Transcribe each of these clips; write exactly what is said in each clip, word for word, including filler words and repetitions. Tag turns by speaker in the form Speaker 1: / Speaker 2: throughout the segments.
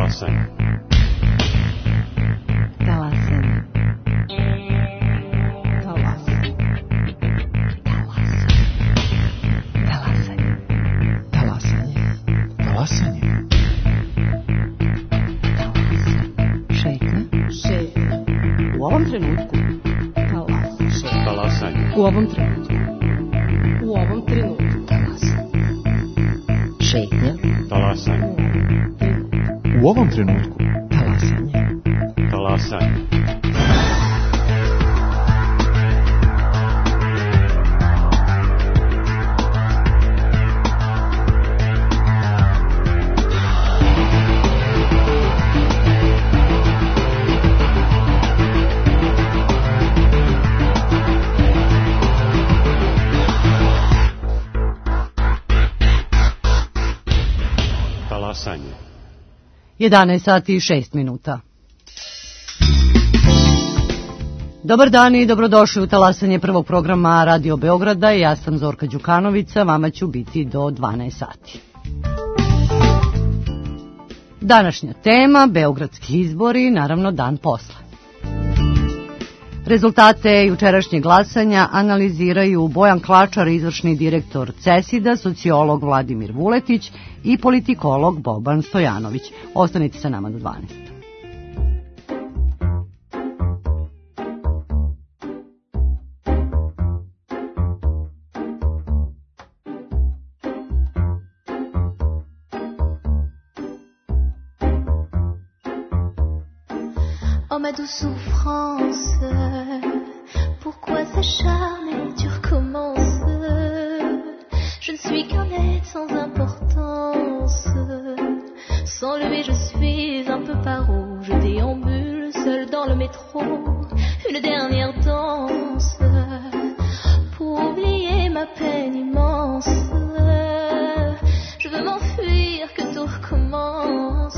Speaker 1: Talasanje.
Speaker 2: Talasanje. Talasanje. Talasanje. Talasanje.
Speaker 3: Talasanje.
Speaker 2: Šetnja. Šetnja. U ovom trenutku. Talasanje.
Speaker 1: Talasanje.
Speaker 2: U ovom trenutku. U ovom trenutku. Talasanje. Šetnja.
Speaker 1: Talasanje.
Speaker 3: U ovom trenutku.
Speaker 2: Talasanje.
Speaker 1: Talasanje. Talasanje.
Speaker 2: jedanaest sati i šest minuta. Dobar dan i dobrodošli u talasanje prvog programa Radio Beograda. Ja sam Zorka Đukanovića, vama ću biti do dvanaest sati. Današnja tema, beogradski izbori, naravno dan posle. Rezultate jučerašnjeg glasanja analiziraju Bojan Klačar, izvršni direktor CESID-a, sociolog Vladimir Vuletić i politikolog Boban Stojanović. Ostanite sa nama do dvanaest.
Speaker 4: Oh ma douce souffrance, pourquoi s'acharner, tu recommences. Je ne suis qu'un être sans importance. Sans lui je suis un peu paro. Je déambule seul dans le métro. Une dernière danse pour oublier ma peine immense. Je veux m'enfuir, que tout recommence.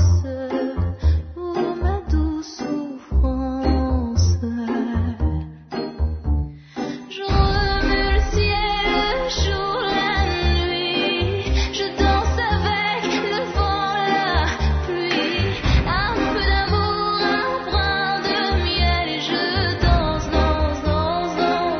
Speaker 5: Danse, danse, danse,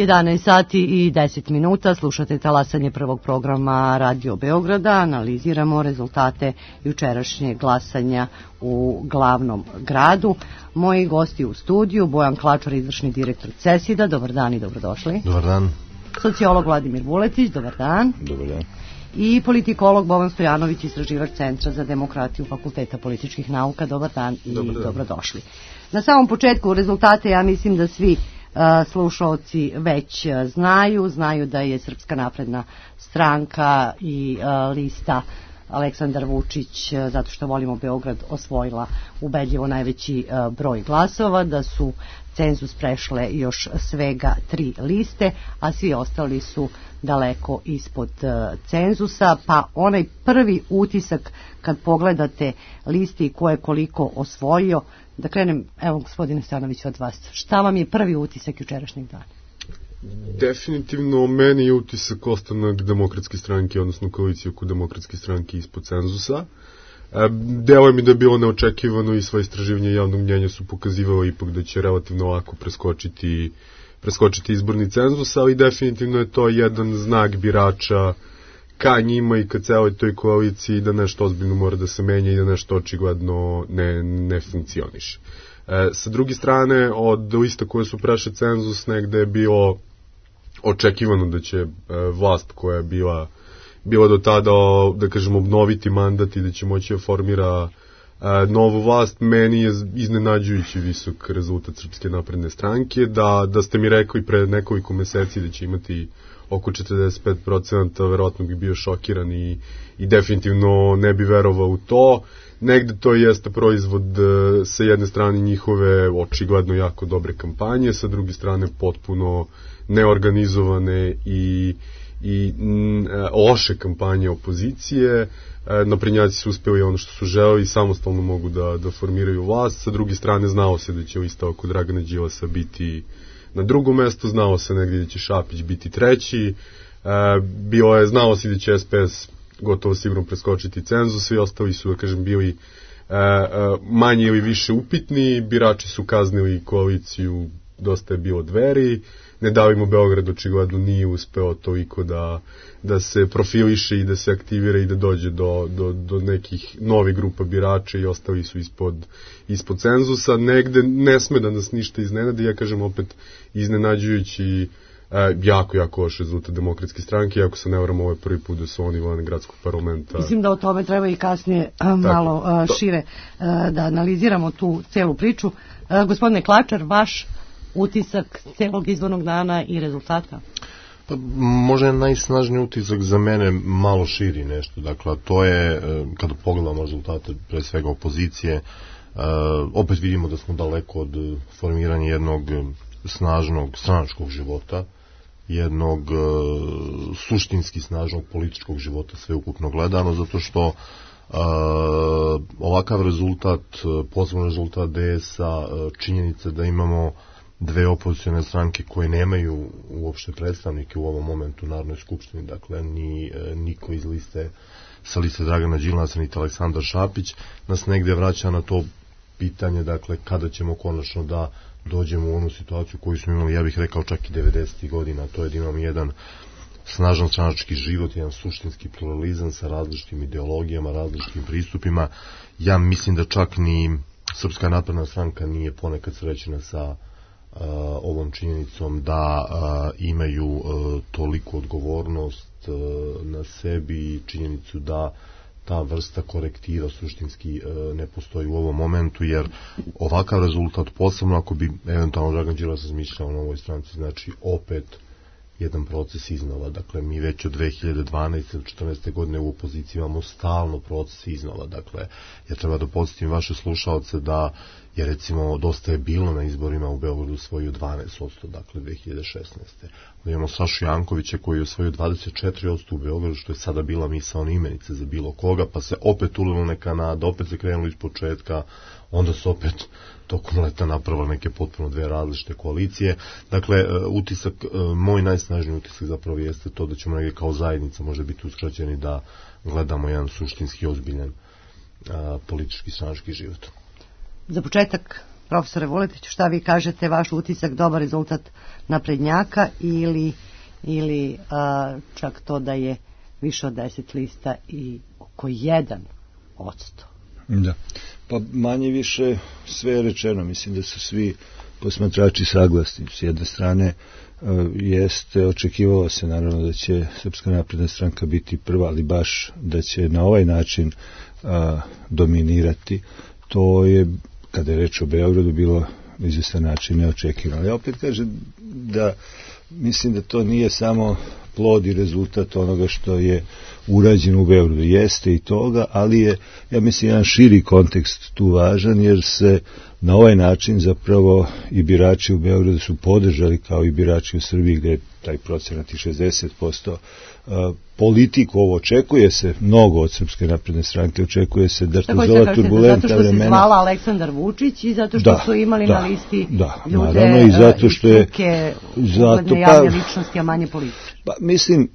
Speaker 2: jedanaest sati i deset minuta, slušate talasanje prvog programa Radio Beograda, analiziramo rezultate jučerašnjeg glasanja u glavnom gradu. Moji gosti u studiju, Bojan Klačar, izvršni direktor CESID-a, dobar dan i dobrodošli.
Speaker 3: Dobar dan.
Speaker 2: Sociolog Vladimir Vuletić, dobar dan.
Speaker 3: Dobar dan.
Speaker 2: I politikolog Boban Stojanović, istraživač Centra za demokratiju Fakulteta političkih nauka, dobar dan i
Speaker 3: dobar dan.
Speaker 2: Dobrodošli. Na samom početku rezultate, ja mislim da svi Uh, slušalci već uh, znaju, znaju da je Srpska napredna stranka i uh, lista Aleksandar Vučić, uh, zato što volimo Beograd, osvojila ubedljivo najveći uh, broj glasova, da su cenzus prešle još svega tri liste, a svi ostali su daleko ispod uh, cenzusa, pa onaj prvi utisak kad pogledate listi ko je koliko osvojio, da krenem, evo gospodine Stanović, od vas. Šta vam je prvi utisak jučerašnjeg dana?
Speaker 5: Definitivno meni je utisak ostanak demokratske stranke, odnosno koalicije oko demokratske stranke ispod cenzusa. E, delo mi da je bilo neočekivano i sva istraživanja javnog mnjenja su pokazivalo ipak da će relativno lako preskočiti, preskočiti izborni cenzus, ali definitivno je to jedan znak birača ka njima i ka celoj toj koaliciji da nešto ozbiljno mora da se menja i da nešto očigledno ne, ne funkcioniše. E, sa druge strane, od lista koje su prešle cenzus, negde je bilo očekivano da će e, vlast koja je bila, bila do tada, da kažem, obnoviti mandat i da će moći da formira e, novu vlast. Meni je iznenađujući visok rezultat Srpske napredne stranke, da, da ste mi rekli pre nekoliko meseci da će imati oko četrdeset pet procenata, verovatno bi bio šokiran i, i definitivno ne bi verovao u to. Negde to jeste proizvod sa jedne strane njihove očigledno jako dobre kampanje, sa druge strane potpuno neorganizovane i, i n, loše kampanje opozicije. Naprednjaci su uspeli ono što su želeli i samostalno mogu da, da formiraju vlast. Sa druge strane znao se da će lista oko Dragana Đilasa biti na drugom mestu, znalo se negdje da će Šapić biti treći, e, bilo je, znalo se da će S P S gotovo sigurno preskočiti cenzus, svi ostali su, da kažem, bili e, e, manje ili više upitni, birači su kaznili koaliciju, dosta je bilo Dveri, Ne davimo Beograd očigledno nije uspeo toliko da, da se profiliše i da se aktivira i da dođe do, do, do nekih novih grupa birača i ostali su ispod, ispod cenzusa. Negde ne sme da nas ništa iznenadi, ja kažem opet iznenađujući e, jako, jako loš rezultat Demokratske stranke, iako se ne varam, ovo je prvi put da su oni van gradskog parlamenta.
Speaker 2: Mislim da o tome treba i kasnije a, malo a, šire a, da analiziramo tu celu priču. A, gospodine Klačar, vaš utisak celog izbornog dana i rezultata?
Speaker 6: Pa, možda je najsnažniji utisak za mene malo širi nešto. Dakle, to je, kada pogledamo rezultate pre svega opozicije, opet vidimo da smo daleko od formiranja jednog snažnog stranačkog života, jednog suštinski snažnog političkog života sveukupno gledano, zato što Uh, ovakav rezultat, posebno rezultat D S-a, činjenica da imamo dve opozicione stranke koje nemaju uopšte predstavnike u ovom momentu u Narodnoj skupštini, dakle ni niko iz liste sa liste Dragana Đilasa niti Aleksandar Šapić, nas negde vraća na to pitanje, dakle kada ćemo konačno da dođemo u onu situaciju koju smo imali, ja bih rekao čak i devedesetih godina, to je da imamo jedan snažan stranački život, jedan suštinski pluralizam sa različitim ideologijama, različitim pristupima. Ja mislim da čak ni Srpska napredna stranka nije ponekad srećena sa uh, ovom činjenicom da uh, imaju uh, toliku odgovornost uh, na sebi i činjenicu da ta vrsta korektiva suštinski uh, ne postoji u ovom momentu, jer ovakav rezultat, posebno ako bi eventualno Dragan Đilas razmišljao o novoj stranci, znači opet jedan proces iznova. Dakle, mi već od dve hiljade dvanaeste do četrnaeste godine u opoziciji imamo stalno proces iznova. Dakle, ja treba da podsjetim vaše slušalce da je recimo dosta je bilo na izborima u Beogradu osvojio dvanaest posto, dakle dve hiljade šesnaeste. Da imamo Sašu Jankovića koji je osvojio dvadeset četiri posto u Beogradu, što je sada bila misaona imenica za bilo koga, pa se opet ulilo neka nada, opet se krenulo iz početka, onda se opet tokom leta napravila neke potpuno dve različite koalicije. Dakle, utisak, moj najsnažniji utisak zapravo jeste to da ćemo negdje kao zajednica možda biti uskraćeni da gledamo jedan suštinski ozbiljan a, politički stranački život.
Speaker 2: Za početak Profesore Vuletiću, šta vi kažete, vaš utisak, dobar rezultat naprednjaka ili, ili a, čak to da je više od deset lista i oko jedan odsto?
Speaker 7: Da, pa manje više sve je rečeno, mislim da su svi posmatrači saglasni. S jedne strane jeste, očekivalo se naravno da će Srpska napredna stranka biti prva, ali baš da će na ovaj način a, dominirati, to je, kada je reč o Beogradu, bilo izvestan način neočekivano. Ja opet kažem da mislim da to nije samo plod i rezultat onoga što je urađeno u Beogradu. Jeste i toga, ali je, ja mislim, jedan širi kontekst tu važan, jer se na ovaj način zapravo i birači u Beogradu su podržali, kao i birači u Srbiji, gde je taj procenat i šezdeset posto. Politiku ovo očekuje se mnogo od Srpske napredne stranke, očekuje se da to zove turbulentna vremena. Zato što se zvala
Speaker 2: Aleksandar Vučić i zato što da, su imali da, na listi
Speaker 7: da,
Speaker 2: ljude
Speaker 7: naravno, i zato što je,
Speaker 2: struke, ugledne javne ličnosti, a manje političke.
Speaker 7: Pa, mislim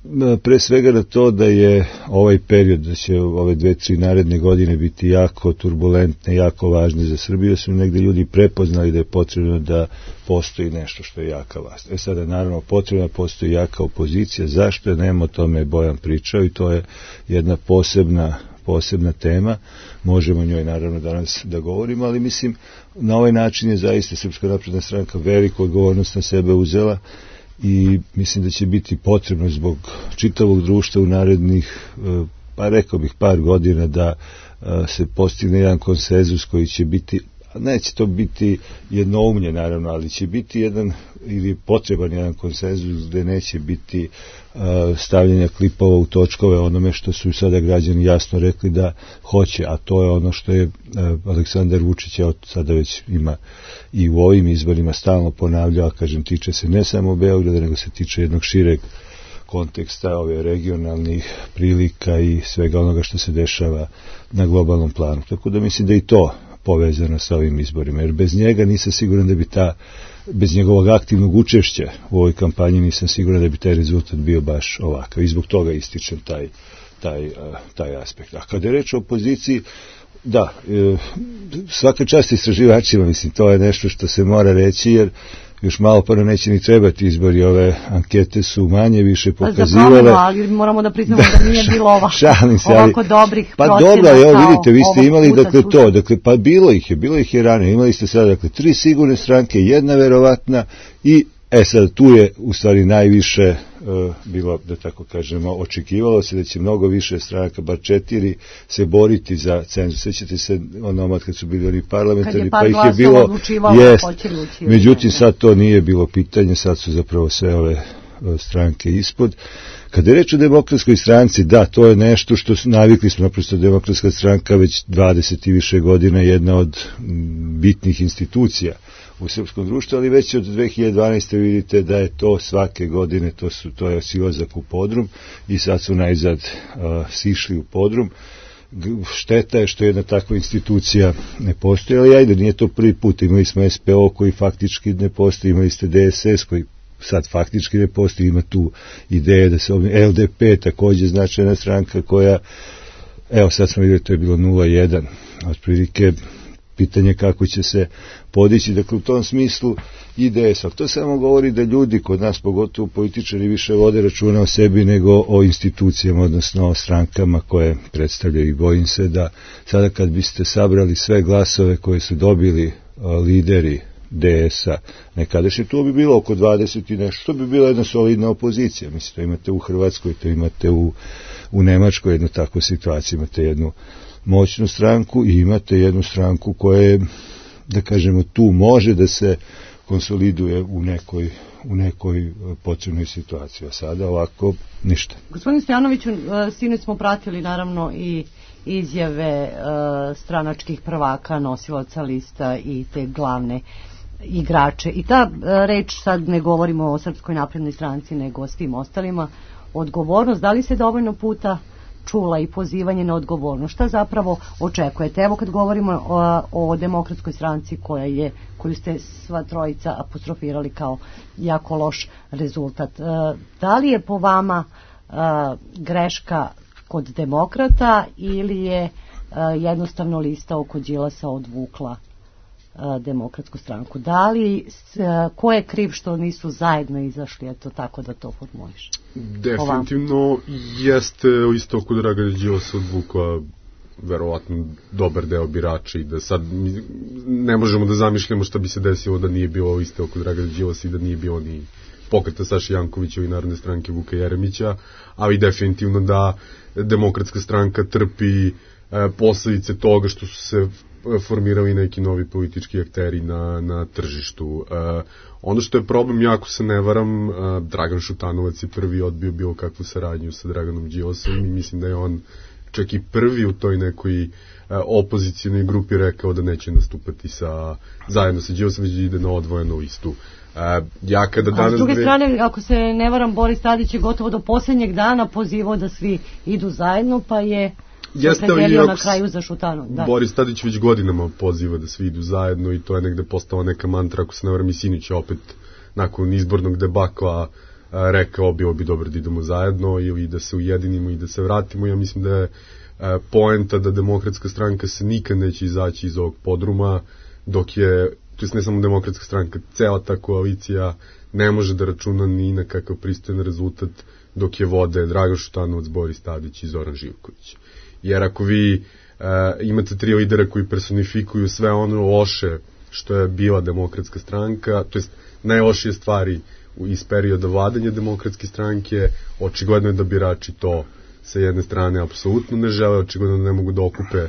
Speaker 7: pre svega da to da je ovaj period, da će ove dve, tri naredne godine biti jako turbulentne, jako važne za Srbiju, su negde ljudi prepoznali da je potrebno da postoji nešto što je jaka vlast. E sada, naravno, potrebno da postoji jaka opozicija. Zašto? Nema o tome Bojan pričao i to je jedna posebna, posebna tema. Možemo o njoj naravno danas da govorimo, ali mislim, na ovaj način je zaista Srpska napredna stranka veliku odgovornost na sebe uzela i mislim da će biti potrebno zbog čitavog društva u narednih, pa rekao bih, par godina da se postigne jedan konsenzus koji će biti, neće to biti jednoumlje naravno, ali će biti jedan, ili potreban jedan konsenzus gde neće biti uh, stavljanja klipova u točkove onome što su sada građani jasno rekli da hoće, a to je ono što je uh, Aleksandar Vučić od sada već ima i u ovim izborima stalno ponavljao, kažem, tiče se ne samo Beograda, nego se tiče jednog šireg konteksta ove regionalnih prilika i svega onoga što se dešava na globalnom planu. Tako da mislim da i to povezano sa ovim izborima, jer bez njega nisam siguran da bi ta, bez njegovog aktivnog učešća u ovoj kampanji nisam siguran da bi taj rezultat bio baš ovakav i zbog toga ističem taj, taj, taj aspekt. A kada je reč o opoziciji, da, svaka čast istraživačima, mislim, to je nešto što se mora reći, jer još malo pa neće ni trebati izbori, ove ankete su manje više pokazivale.
Speaker 2: Za promenu, ali moramo da priznamo da, da nije bilo ova, šalim se, ovako ali, dobrih
Speaker 7: pa
Speaker 2: procena. Pa
Speaker 7: dobro, evo vidite, vi ste imali dakle to, dakle, pa bilo ih je, bilo ih je ranije, imali ste sada dakle tri sigurne stranke, jedna verovatna i e sad tu je u stvari najviše uh, bilo, da tako kažemo, očekivalo se da će mnogo više stranaka, bar četiri, se boriti za cenzus. Sećate se onomad kad su bili oni parlamentarni, pa ih je bilo, jest, međutim sad to nije bilo pitanje, sad su zapravo sve ove stranke ispod. Kada je reč o demokratskoj stranci, da, to je nešto što su, navikli smo, naprosto demokratska stranka već dvadeset i više godina jedna od bitnih institucija u srpskom društvu, ali već od dve hiljade dvanaeste vidite da je to svake godine, to, su, to je silazak u podrum i sad su najzad uh, sišli u podrum. Šteta je što jedna takva institucija ne postoji, ali ajde, nije to prvi put. Imali smo S P O koji faktički ne postoji, imali ste D S S koji sad faktički ne postoji, ima tu ideje da se ovdje, L D P također značajna stranka koja, evo sad smo vidjeli, to je bilo nula jedan, otprilike pitanje kako će se podići, dakle u tom smislu I D S, ali to samo govori da ljudi kod nas, pogotovo političari, više vode računa o sebi nego o institucijama, odnosno o strankama koje predstavljaju, i bojim se da sada kad biste sabrali sve glasove koje su dobili lideri D S-a nekadašnje, to bi bilo oko dvadeset i nešto, to bi bila jedna solidna opozicija. Mislim, to imate u Hrvatskoj, to imate u, u Nemačkoj jednu takvu situaciju, imate jednu moćnu stranku i imate jednu stranku koja je, da kažemo, tu može da se konsoliduje u nekoj, u nekoj potrebnoj situaciji, a sada ovako ništa.
Speaker 2: Gospodin Stojanoviću, sinoć smo pratili naravno i izjave uh, stranačkih prvaka, nosilaca lista i te glavne igrače. I ta uh, reč, sad ne govorimo o Srpskoj naprednoj stranci, nego o svim ostalima, odgovornost, da li se dovoljno puta čula i pozivanje na odgovornost? Šta zapravo očekujete? Evo kad govorimo o, o demokratskoj stranci koja je, koju ste sva trojica apostrofirali kao jako loš rezultat. Uh, da li je po vama uh, greška kod demokrata ili je uh, jednostavno lista oko Đilasa odvukla a, Demokratsku stranku. Da li, s, a, ko je kriv što nisu zajedno izašli, eto tako da to formuliš?
Speaker 5: Definitivno jeste isto kod Dragana Đilasa odvukla verovatno dobar deo birača i da sad ne možemo da zamišljamo šta bi se desilo da nije bilo isto oko Dragana Đilasa i da nije bilo ni pokreta Saše Jankovića i Narodne stranke Vuka Jeremića, ali definitivno da Demokratska stranka trpi e, posledice toga što su se formirali neki novi politički akteri na, na tržištu. E, ono što je problem, jako se ne varam, e, Dragan Šutanovac je prvi odbio bilo kakvu saradnju sa Draganom Đilasom i mislim da je on čak i prvi u toj nekoj e, opozicijalnoj grupi rekao da neće nastupati sa, zajedno sa Đilasom, već ide na odvojenu listu. Uh, ja kada danas... A s
Speaker 2: druge strane, ako se ne varam, Boris Tadić je gotovo do posljednjeg dana pozivao da svi idu zajedno, pa je se predelio na kraju za Šutanovac. Da.
Speaker 5: Boris Tadić već godinama poziva da svi idu zajedno i to je negde postala neka mantra, ako se ne varam i Sinić opet nakon izbornog debakla uh, rekao bilo bi dobro da idemo zajedno ili da se ujedinimo i da se vratimo. Ja mislim da je uh, poenta da Demokratska stranka se nikad neće izaći iz ovog podruma, dok je, to je ne samo Demokratska stranka, cela ta koalicija ne može da računa ni na kakav pristojan rezultat dok je vode Dragan Šutanovac, Boris Tadić i Zoran Živković. Jer ako vi e, imate tri lidera koji personifikuju sve ono loše što je bila Demokratska stranka, to jest najlošije stvari iz perioda vladanja Demokratske stranke, očigledno je da birači to sa jedne strane apsolutno ne žele, očigledno da ne mogu da okupe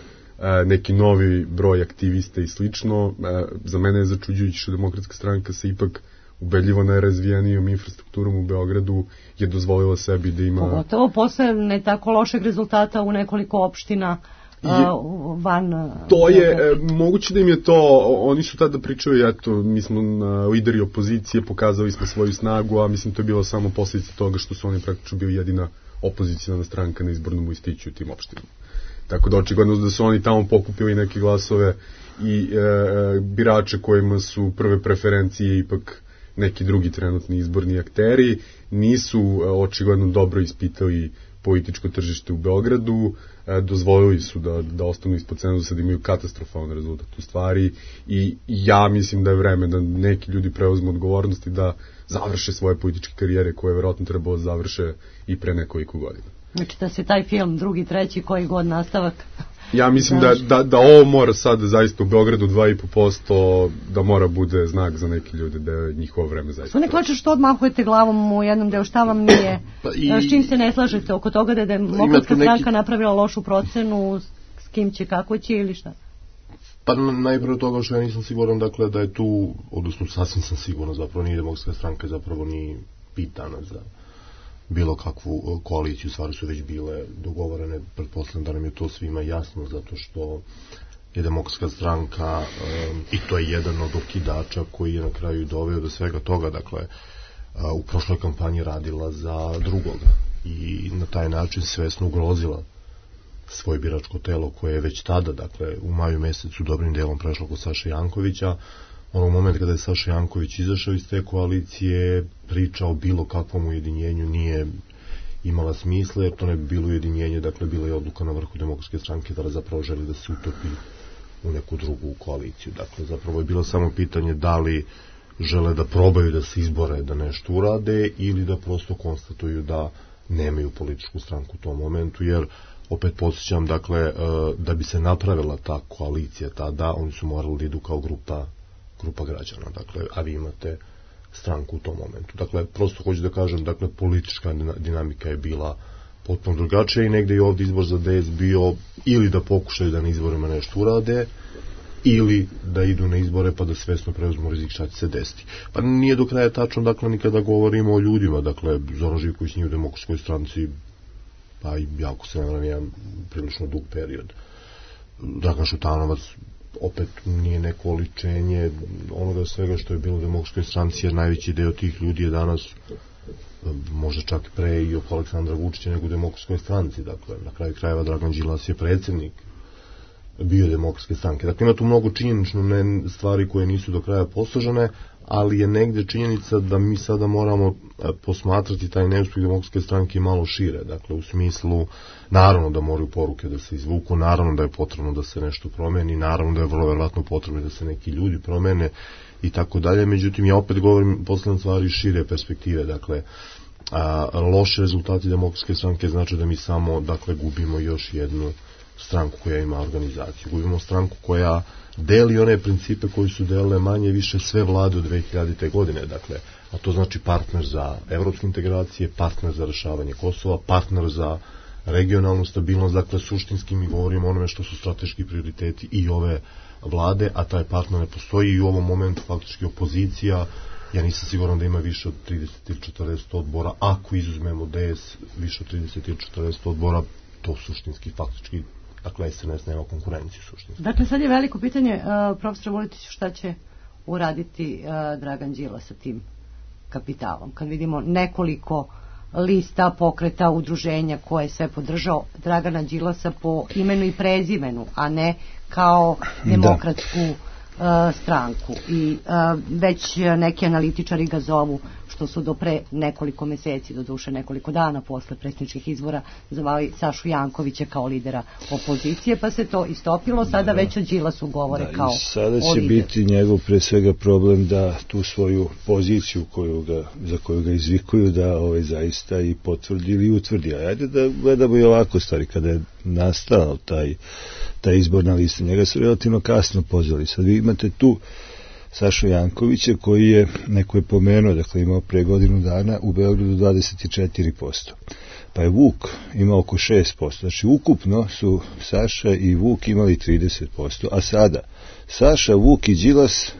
Speaker 5: neki novi broj aktivista i slično. Za mene je začuđujuće što Demokratska stranka se ipak ubedljivo najrazvijenijom infrastrukturom u Beogradu je dozvolila sebi da ima...
Speaker 2: Pogotovo posle ne tako lošeg rezultata u nekoliko opština je, van...
Speaker 5: To je, e, moguće da im je to, oni su tada pričali, eto, mi smo na lideri opozicije, pokazali smo svoju snagu, a mislim to je bilo samo posljedica toga što su oni praktično bili jedina opozicijna stranka na izbornom listiću u tim opštinama. Tako da očigledno da su oni tamo pokupili neke glasove i e, birače kojima su prve preferencije ipak neki drugi trenutni izborni akteri, nisu e, očigledno dobro ispitali političko tržište u Beogradu, e, dozvolili su da, da ostanu ispod cenzusa, da imaju katastrofalan rezultat u stvari i ja mislim da je vreme da neki ljudi preuzmu odgovornost i da završe svoje političke karijere koje je verovatno trebalo da završe i pre nekoliko godina.
Speaker 2: Znači da se taj film, drugi, treći, koji god nastavak...
Speaker 5: Ja mislim da, da, da ovo mora sad zaista u Beogradu dva i po posto da mora bude znak za neke ljude da je njihovo vreme zaista.
Speaker 2: Sve ne klače što odmahujete glavom u jednom delu, šta vam nije, pa i, s čim se ne slažete oko toga da je Demokratska neki... stranka napravila lošu procenu, s kim će, kako će ili šta?
Speaker 6: Pa najprije od toga što ja nisam siguran, dakle, da je tu, odnosno sasvim sam siguran, zapravo nije Demokratska stranka, zapravo ni pitana za bilo kakvu koaliciju, stvari su već bile dogovorene, pretpostavljam da nam je to svima jasno, zato što je Demokratska stranka um, i to je jedan od okidača koji je na kraju doveo do svega toga, dakle uh, u prošloj kampanji radila za drugoga i na taj način svesno ugrozila svoje biračko telo koje je već tada, dakle u maju mesecu dobrim delom prešlo kod Saše Jankovića. Onog momenta kada je Saša Janković izašao iz te koalicije, priča o bilo kakvom ujedinjenju nije imala smisla, jer to ne bi bilo ujedinjenje, dakle bila je odluka na vrhu Demokratske stranke da zapravo želi da se utopi u neku drugu koaliciju. Dakle, zapravo je bilo samo pitanje da li žele da probaju da se izbore da nešto urade ili da prosto konstatuju da nemaju političku stranku u tom momentu, jer opet podsjećam, dakle, da bi se napravila ta koalicija tada, oni su morali da idu kao grupa grupa građana, dakle, a vi imate stranku u tom momentu. Dakle, prosto hoću da kažem, dakle, politička dinamika je bila potpuno drugačija i negde je ovdje izbor za D S bio ili da pokušaju da na izborima nešto urade, ili da idu na izbore pa da svesno preuzmu rizik šta će se desiti. Pa nije do kraja tačno, dakle, ni kada govorimo o ljudima, dakle, Zoran Živković nije u Demokratskoj stranci, pa i jako se ne jedan prilično dug period. Dragan Šutanovac opet nije neko oličenje onoga svega što je bilo u Demokratskoj stranci, jer najveći deo tih ljudi je danas možda čak pre i oko Aleksandra Vučića nego u Demokratskoj stranci. Dakle, na kraju krajeva Dragan Đilas je predsjednik bio demokratske stranke. Dakle, ima tu mnogo činjenično ne, stvari koje nisu do kraja posložene, ali je negde činjenica da mi sada moramo posmatrati taj neuspjeh demokratske stranke malo šire. Dakle, u smislu, naravno da moraju poruke da se izvuku, naravno da je potrebno da se nešto promeni, naravno da je vrlo verovatno potrebno da se neki ljudi promene i tako dalje. Međutim, ja opet govorim poslednje stvari šire perspektive. Dakle, a, loše rezultati demokratske stranke znači da mi samo, dakle, gubimo još jednu stranku koja ima organizaciju. Gubimo stranku koja deli one principe koji su delile manje više sve vlade od dve hiljadite. godine, dakle, a to znači partner za evropske integracije, partner za rešavanje Kosova, partner za regionalnu stabilnost, dakle, suštinski mi govorimo o onome što su strateški prioriteti i ove vlade, a taj partner ne postoji i u ovom momentu faktički opozicija, ja nisam siguran da ima više od trideset ili četrdeset odbora, ako izuzmemo D S više od trideset ili četrdeset odbora, to suštinski faktički, dakle, S N S nema konkurenciju suštinski.
Speaker 2: Dakle, sad je veliko pitanje, uh, profesor Vuletić, šta će uraditi uh, Dragan Đilas sa tim kapitalom? Kad vidimo nekoliko lista, pokreta, udruženja koje je sve podržao Dragana Đilasa po imenu i prezimenu, a ne kao demokratsku uh, stranku. I uh, već neki analitičari ga zovu, što su do pre nekoliko meseci, do duše nekoliko dana posle predsjedničkih izbora, zvali Sašu Jankovića kao lidera opozicije, pa se to istopilo, sada već o Đilasu govore da, kao
Speaker 7: sada će biti njegov pre svega problem da tu svoju poziciju koju ga, za koju ga izvikuju da ovaj, zaista i potvrdi ili utvrdi. A ajde da gledamo i ovako stvari, kada je nastao taj, taj izborna lista, njega su relativno kasno pozvali. Sad vi imate tu Sašu Jankovića koji je, neko je pomenuo, dakle imao pre godinu dana u Beogradu dvadeset četiri posto. Pa je Vuk imao oko šest posto. Znači ukupno su Saša i Vuk imali trideset posto, a sada Saša, Vuk i Đilas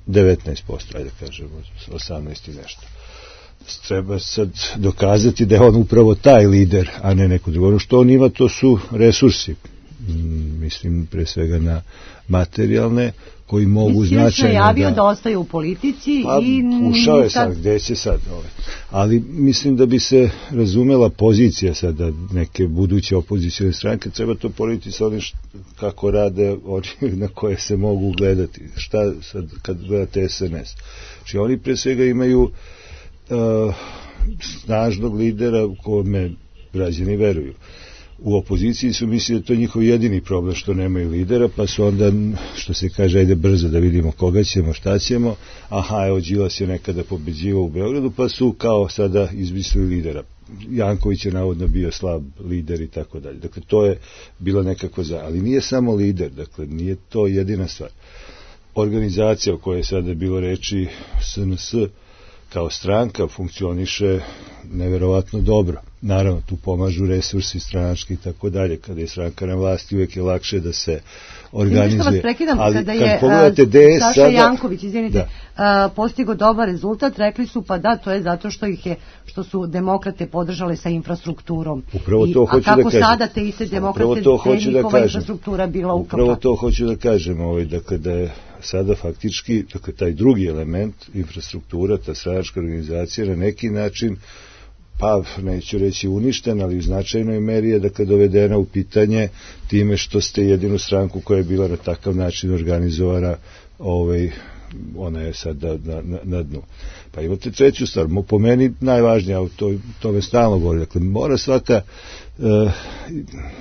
Speaker 7: devetnaest posto, ajde kažemo osamnaest i nešto. Treba sad dokazati da je on upravo taj lider, a ne neko drugo. Ono što on ima, to su resursi. Mislim pre svega na materijalne koji mogu značajno da... Mislim
Speaker 2: najavio da ostaje u politici
Speaker 7: pa,
Speaker 2: i...
Speaker 7: ušao je sad, gde će sad? Ovaj. Ali mislim da bi se razumela pozicija sada neke buduće opozicijne stranke, treba to porediti sa onim kako rade oni na koje se mogu gledati. Šta sad kad gledate S N S? Znači oni pre svega imaju uh, snažnog lidera kome građani veruju. U opoziciji su mislili da to je njihov jedini problem što nemaju lidera, pa su onda, što se kaže, ajde brzo da vidimo koga ćemo, šta ćemo. Aha, evo Đilas je nekada pobeđivao u Beogradu, pa su kao sada izmislili lidera. Janković je navodno bio slab lider i tako dalje. Dakle, to je bila nekako za... Ali nije samo lider, dakle, nije to jedina stvar. Organizacija o kojoj je sada bilo reči, S N S, kao stranka funkcioniše neverovatno dobro. Naravno, tu pomažu resursi stranački i tako dalje. Kada je stranka na vlasti, uvijek je lakše da se organizuje.
Speaker 2: Vas prekidam,
Speaker 7: ali
Speaker 2: kada
Speaker 7: kad
Speaker 2: je
Speaker 7: pogledate D S
Speaker 2: Saša
Speaker 7: sada...
Speaker 2: Janković, izvinite, da. postigo dobar rezultat, rekli su pa da, to je zato što ih je, što su demokrate podržale sa infrastrukturom.
Speaker 7: Upravo to
Speaker 2: I,
Speaker 7: hoću da kažem.
Speaker 2: A kako sada te iste demokrate,
Speaker 7: to hoću
Speaker 2: te
Speaker 7: da
Speaker 2: njihova
Speaker 7: kažem.
Speaker 2: infrastruktura bila ukapana.
Speaker 7: Upravo to hoću da kažem, ovaj, dakle, da je sada faktički, dakle, taj drugi element, infrastruktura, ta stranačka organizacija, na neki način, pa neću reći uništen, ali u značajnoj meri je, dakle, dovedena u pitanje time što ste jedinu stranku koja je bila na takav način organizovana, ovaj, ona je sad na, na, na dnu. Pa imate treću stvar, po meni najvažnija, to, to me stalno govori, dakle, mora svaka e,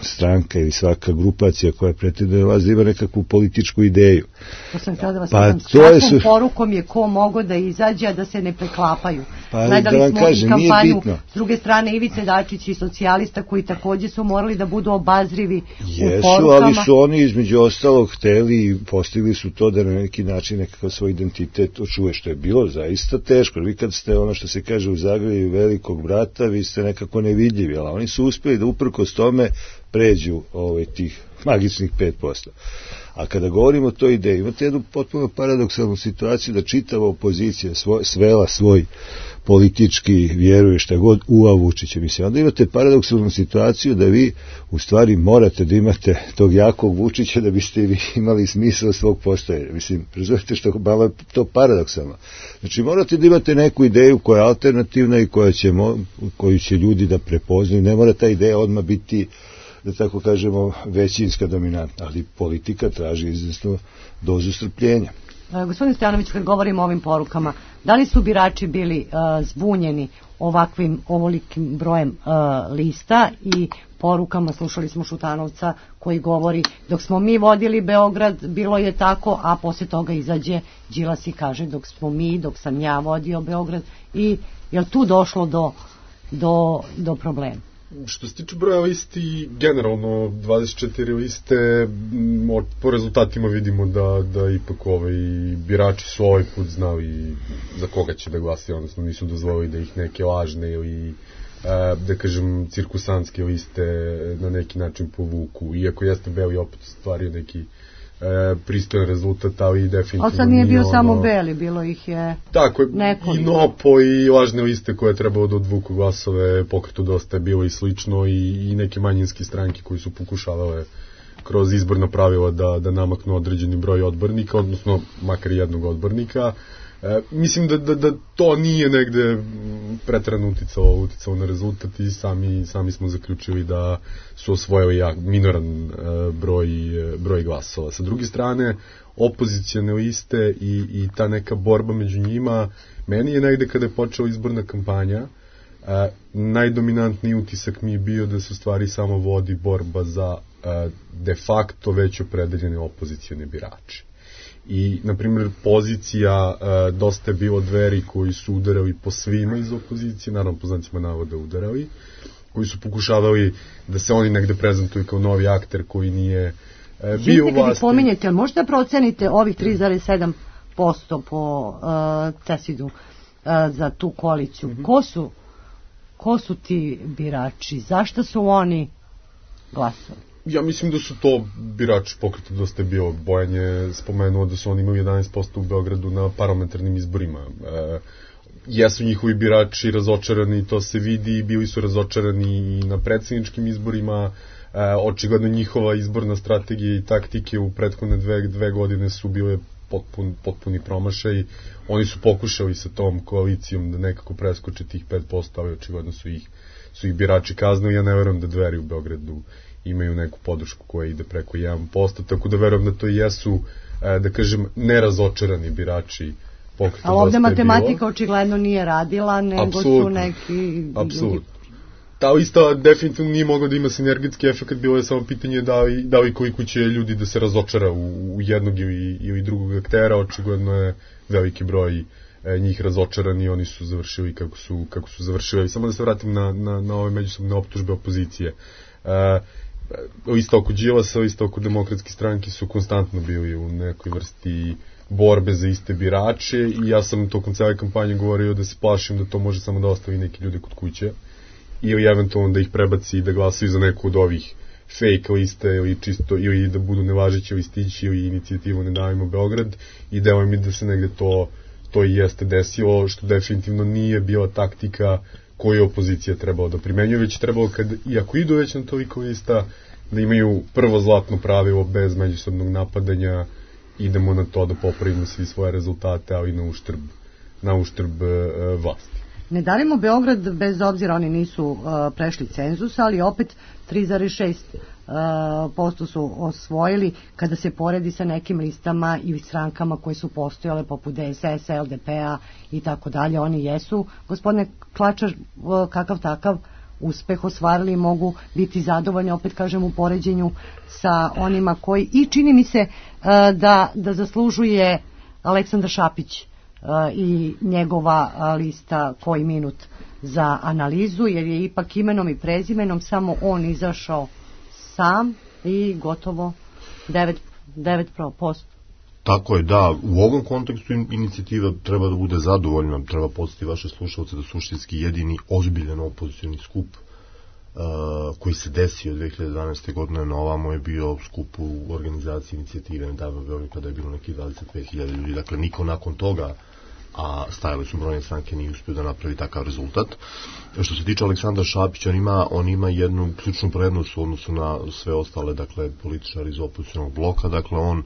Speaker 7: stranka ili svaka grupacija koja pretenduje vas da ima nekakvu političku ideju.
Speaker 2: To sam htjela da vas
Speaker 7: pa
Speaker 2: vidim. S kakvom su... porukom je ko mogo da izađe, da se ne preklapaju.
Speaker 7: Pa,
Speaker 2: gledali
Speaker 7: da
Speaker 2: smo
Speaker 7: kažem,
Speaker 2: i kampanju s druge strane Ivice Dačić i socijalista koji takođe su morali da budu obazrivi
Speaker 7: Jesu,
Speaker 2: u porukama.
Speaker 7: ali su oni između ostalog hteli i postigli su to da na neki način nekakav svoj identitet očuje, što je bilo zaista teško. Vi kad ste ono što se kaže u Zagrebu velikog brata, vi ste nekako nevidljivi, ali oni su uspeli da uprkos tome pređu ovaj, tih magičnih pet posto. A kada govorimo o toj ideji, imate jednu potpuno paradoksalnu situaciju da čitava opozicija svoj, svela svoj politički vjeruje šta god u Vučića. Mislim, onda imate paradoksalnu situaciju da vi u stvari morate da imate tog jakog Vučića da biste vi imali smisao svog postojanja. Mislim, razumete što malo je to paradoksalno. Znači, morate da imate neku ideju koja je alternativna i koja će, koju će ljudi da prepoznaju. Ne mora ta ideja odmah biti da tako kažemo, većinska dominantna, ali politika traži izvesnu dozu strpljenja.
Speaker 2: E, gospodin Stojanović, kad govorimo o ovim porukama, da li su birači bili e, zbunjeni ovakvim, ovolikim brojem e, lista i porukama? Slušali smo Šutanovca koji govori dok smo mi vodili Beograd bilo je tako, a posle toga izađe Đilas i kaže dok smo mi, dok sam ja vodio Beograd. I je li tu došlo do, do, do problema?
Speaker 5: Što se tiče broja listi, generalno dvadeset četiri liste, po rezultatima vidimo da, da ipak ovaj, birači su ovaj put znali za koga će da glasaju, odnosno nisu dozvolili da ih neke lažne ili da kažem cirkusantske liste na neki način povuku, iako jeste Beli opet stvario neki e, pristojan rezultat, ali definitivno
Speaker 2: ali sad nije bio
Speaker 5: ono,
Speaker 2: samo Beli, bilo ih je
Speaker 5: tako je,
Speaker 2: nekoliko.
Speaker 5: I Nopo i lažne liste koje je trebalo da odvuku glasove, Pokretu dosta je bilo i slično, i, i neke manjinske stranke koji su pokušavale kroz izborna pravila da, da namaknu određeni broj odbornika, odnosno makar jednog odbornika. E, mislim da, da, da to nije negde preterano uticalo, uticalo na rezultat i sami, sami smo zaključili da su osvojili jak, minoran e, broj, broj glasova. Sa druge strane, opozicijane liste i, i ta neka borba među njima, meni je negde kada je počela izborna kampanja, e, najdominantniji utisak mi je bio da se u stvari samo vodi borba za e, de facto već opredeljene opozicijane birače. I, na primjer, pozicija, e, dosta je bilo Dveri koji su udarali po svima iz opozicije, naravno po znacima navoda udarali, koji su pokušavali da se oni negde prezentuju kao novi akter koji nije e, bio u vlasti.
Speaker 2: Kad pominjete, možete da procenite ovih tri zarez sedam posto po uh, Cesidu uh, za tu koaliciju? Mm-hmm. Ko su, ko su ti birači? Zašto su oni glasali?
Speaker 5: Ja mislim da su to birači Pokreta dosta je bio. Bojan je spomenuo da su oni imali jedanaest posto u Beogradu na parlamentarnim izborima. E, jesu njihovi birači razočarani, to se vidi, bili su razočarani i na predsjedničkim izborima. E, očigledno njihova izborna strategija i taktike u prethodne dve, dve godine su bile potpun, potpuni promašaj. Oni su pokušali sa tom koalicijom da nekako preskoče tih pet posto, ali očigledno su ih, su ih birači kaznili. Ja ne verujem da Dveri u Beogradu imaju neku podršku koja ide preko jedan posto, tako da verujem da to jesu, da kažem, nerazočarani birači Pokreta.
Speaker 2: Ali ovde matematika očigledno nije radila, nego Absolutno. Su neki...
Speaker 5: Apsolutno. Ta lista definitivno nije mogla da ima sinergijski efekt, bilo je samo pitanje da li, da li koliko će ljudi da se razočara u, u jednog ili, ili drugog aktera. Očigledno je veliki broj e, njih razočarani, oni su završili kako su, kako su završili. Samo da se vratim na, na, na ove međusobne optužbe opozicije. E, Isto oko Đilasa, isto oko Demokratske stranke su konstantno bili u nekoj vrsti borbe za iste birače i ja sam tokom cele kampanje govorio da se plašim da to može samo da ostavi neki ljude kod kuće ili eventualno da ih prebaci i da glasaju za neku od ovih fake liste ili čisto ili da budu nevažeći listići ili inicijativu Ne davimo Beograd, i delo mi da se negde to, to i jeste desilo, što definitivno nije bila taktika koju opozicija trebala da primenjuje, već trebalo, kad, iako idu već na toliko lista, da imaju prvo zlatno pravilo bez međusobnog napadanja, idemo na to da popravimo svi svoje rezultate, ali na uštrb, na uštrb e, vlasti.
Speaker 2: Ne davimo Beograd, bez obzira oni nisu uh, prešli cenzus, ali opet tri zarez šest posto su osvojili kada se poredi sa nekim listama i strankama koje su postojale poput D S S, L D P-a i tako dalje. Oni jesu, gospodine Klačar, kakav takav uspeh ostvarili i mogu biti zadovoljni, opet kažem, u poređenju sa onima koji, i čini mi se uh, da, da zaslužuje Aleksandar Šapić uh, i njegova uh, lista Koji minut za analizu, jer je ipak imenom i prezimenom samo on izašao sam i gotovo devet posto.
Speaker 6: Tako je, da, u ovom kontekstu inicijativa treba da bude zadovoljna, treba podsjetiti vaše slušalce da suštinski jedini ozbiljan opozicioni skup uh, koji se desio dve hiljade dvanaeste. godine na ovamo je bio skup u organizaciji inicijative Ne davimo Beograd, kada je bilo neki dvadeset pet hiljada ljudi, dakle niko nakon toga, a stajale su brojne stranke, nije uspio da napravi takav rezultat. Što se tiče Aleksandra Šapića, on ima, on ima jednu ključnu prednost u odnosu na sve ostale, dakle, političari iz opozicionog bloka, dakle, on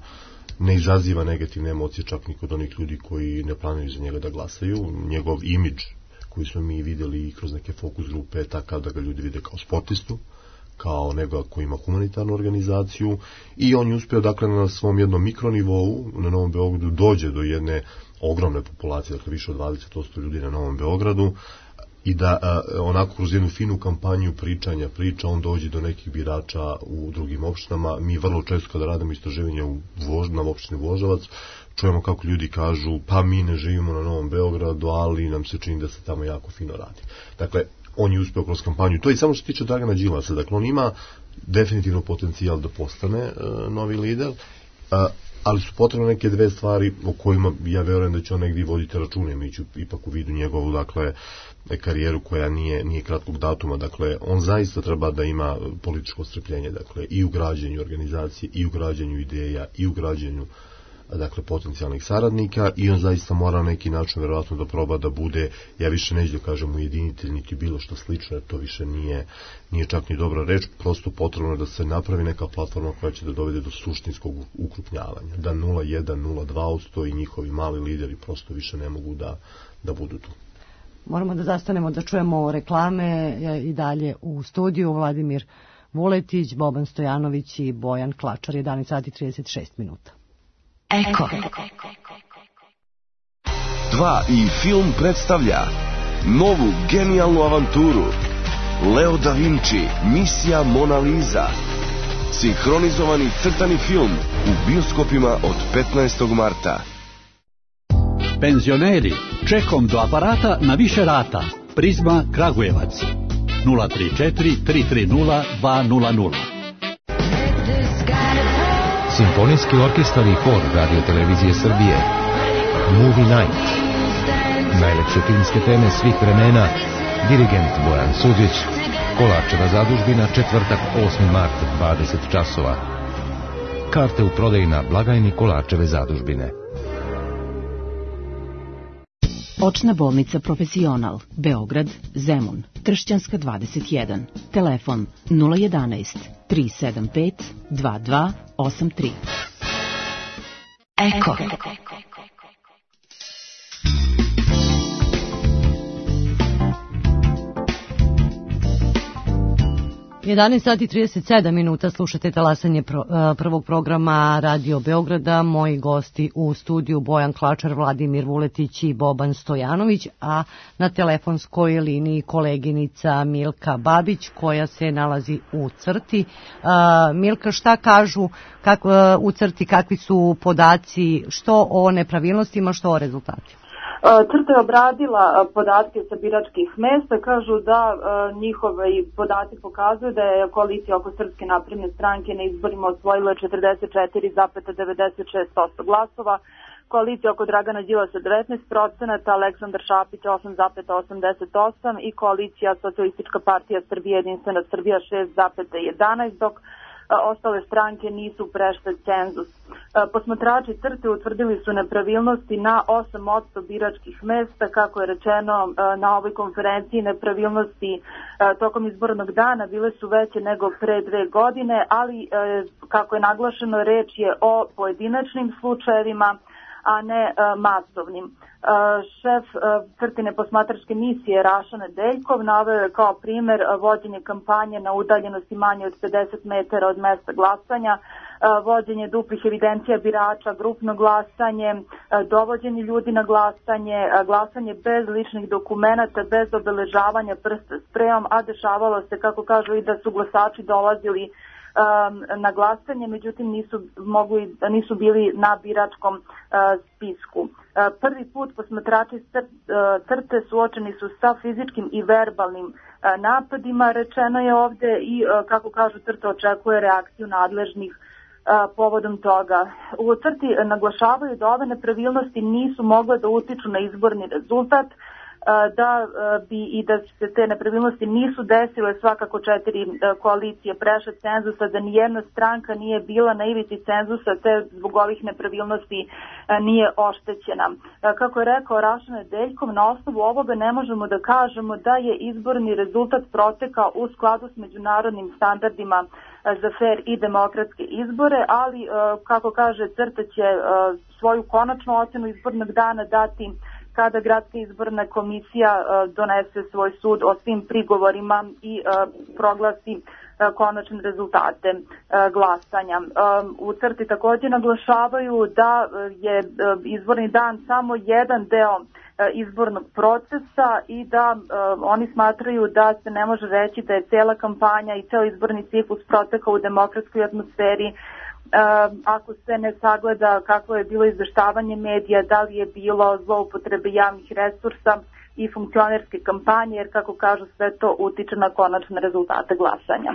Speaker 6: ne izaziva negativne emocije čak ni kod onih ljudi koji ne planuju za njega da glasaju. Njegov imidž koji smo mi vidjeli i kroz neke fokus grupe je takav da ga ljudi vide kao sportistu, kao nego ko ima humanitarnu organizaciju i on je uspio dakle na svom jednom mikronivou na Novom Beogradu dođe do jedne ogromne populacije, dakle više od dvadeset posto ljudi na Novom Beogradu i da a, onako kroz jednu finu kampanju pričanja priča on dođe do nekih birača u drugim opštinama. Mi vrlo često kada radimo istraživanja u Vož, na opštini Voždovac čujemo kako ljudi kažu pa mi ne živimo na Novom Beogradu, ali nam se čini da se tamo jako fino radi. Dakle, on je uspeo kroz kampanju. To je samo što se tiče Dragana Đilasa. Dakle, on ima definitivno potencijal da postane uh, novi lider, uh, ali su potrebne neke dve stvari o kojima ja verujem da će on negdje voditi račune, imajući ipak u vidu njegovu, dakle, karijeru koja nije, nije kratkog datuma. Dakle, on zaista treba da ima političko strpljenje, dakle, i u građenju organizacije, i u građenju ideja, i u građenju dakle potencijalnih saradnika i on zaista mora na neki način verovatno da proba da bude, ja više neću da kažem ujedinitelj niti bilo što slično, jer to više nije, nije čak ni dobra reč, prosto potrebno je da se napravi neka platforma koja će da dovede do suštinskog ukrupnjavanja, da nula jedan nula dva odsto i njihovi mali lideri prosto više ne mogu da, da budu tu.
Speaker 2: Moramo da zastanemo da čujemo reklame i dalje u studiju. Vladimir Vuletić, Boban Stojanović i Bojan Klačar, jedanaest sati i trideset šest minuta.
Speaker 8: Eko. Dva i film predstavlja novu genijalnu avanturu Leo da Vinci, misija Mona Lisa. Sinhronizovani crtani film u bioskopima od petnaestog marta.
Speaker 9: Penzioneri, čekom do aparata na više rata. Prizma Kragujevac. nula tri četiri tri tri nula dva nula nula.
Speaker 10: Simfonijski orkestar i hor Radio Televizije Srbije. Movie Night. Najlepše filmske teme svih vremena. Dirigent Bojan Suđić. Kolarčeva zadužbina, četvrtak osmi mart, dvadeset časova. Karte u prodaji na blagajni Kolarčeve zadužbine.
Speaker 11: Očna bolnica Profesional, Beograd, Zemun, Tršćanska dvadeset jedan. Telefon nula jedanaest tri sedam pet dva dva osam tri. Eko.
Speaker 2: jedanaest sati i trideset sedam minuta, slušate talasanje pro, prvog programa Radio Beograda. Moji gosti u studiju Bojan Klačar, Vladimir Vuletić i Boban Stojanović, a na telefonskoj liniji koleginica Milka Babić koja se nalazi u crti. Uh, Milka, šta kažu kak, uh, u crti, kakvi su podaci, što o nepravilnostima, što o rezultatima?
Speaker 12: Crta je obradila podatke sa biračkih mesta, kažu da njihovi podaci pokazuju da je koalicija oko Srpske napredne stranke na izborima osvojila četrdeset četiri zarez devedeset šest posto glasova, koalicija oko Dragana Đilasa devetnaest procenata, Aleksandar Šapić osam zarez osamdeset osam i koalicija Socijalistička partija Srbije Jedinstvena Srbija šest zarez jedanaest, dok ostale stranke nisu prešle cenzus. Posmatrači crte utvrdili su nepravilnosti na osam posto biračkih mesta, kako je rečeno na ovoj konferenciji. Nepravilnosti tokom izbornog dana bile su veće nego pre dve godine, ali kako je naglašeno, reč je o pojedinačnim slučajevima, a ne masovnim. Šef crtine posmatračke misije Raša Nedeljkov naveo je kao primer vođenje kampanje na udaljenosti manje od pedeset metara od mesta glasanja, vođenje duplih evidencija birača, grupno glasanje, dovođenje ljudi na glasanje, glasanje bez ličnih dokumenata, bez obeležavanja prsta sprejom, a dešavalo se, kako kažu, i da su glasači dolazili na glasanje, međutim nisu, mogli, nisu bili na biračkom uh, spisku. Uh, prvi put posmatrači crte suočeni su sa fizičkim i verbalnim uh, napadima, rečeno je ovde, i uh, kako kažu, crta očekuje reakciju nadležnih uh, povodom toga. U crti naglašavaju da ove nepravilnosti nisu mogle da utiču na izborni rezultat, da bi i da se te nepravilnosti nisu desile svakako četiri koalicije prešle cenzusa, da nijedna stranka nije bila na ivici cenzusa, te zbog ovih nepravilnosti nije oštećena. Kako je rekao Raša Nedeljkov, na osnovu ovoga ne možemo da kažemo da je izborni rezultat protekao u skladu s međunarodnim standardima za fer i demokratske izbore, ali kako kaže, crta će svoju konačnu ocenu izbornog dana dati kada gradska izborna komisija uh, donese svoj sud o svim prigovorima i uh, proglasi uh, konačne rezultate glasanja. U CRTI takođe naglašavaju da je izborni dan samo jedan deo izbornog procesa i da oni smatraju da se ne može reći da je cela kampanja i ceo izborni ciklus protekao u demokratskoj atmosferi ako se ne sagleda kako je bilo izveštavanje medija, da li je bilo zloupotrebe javnih resursa i funkcionerske kampanje, jer kako kažu sve to utiče na konačne rezultate glasanja.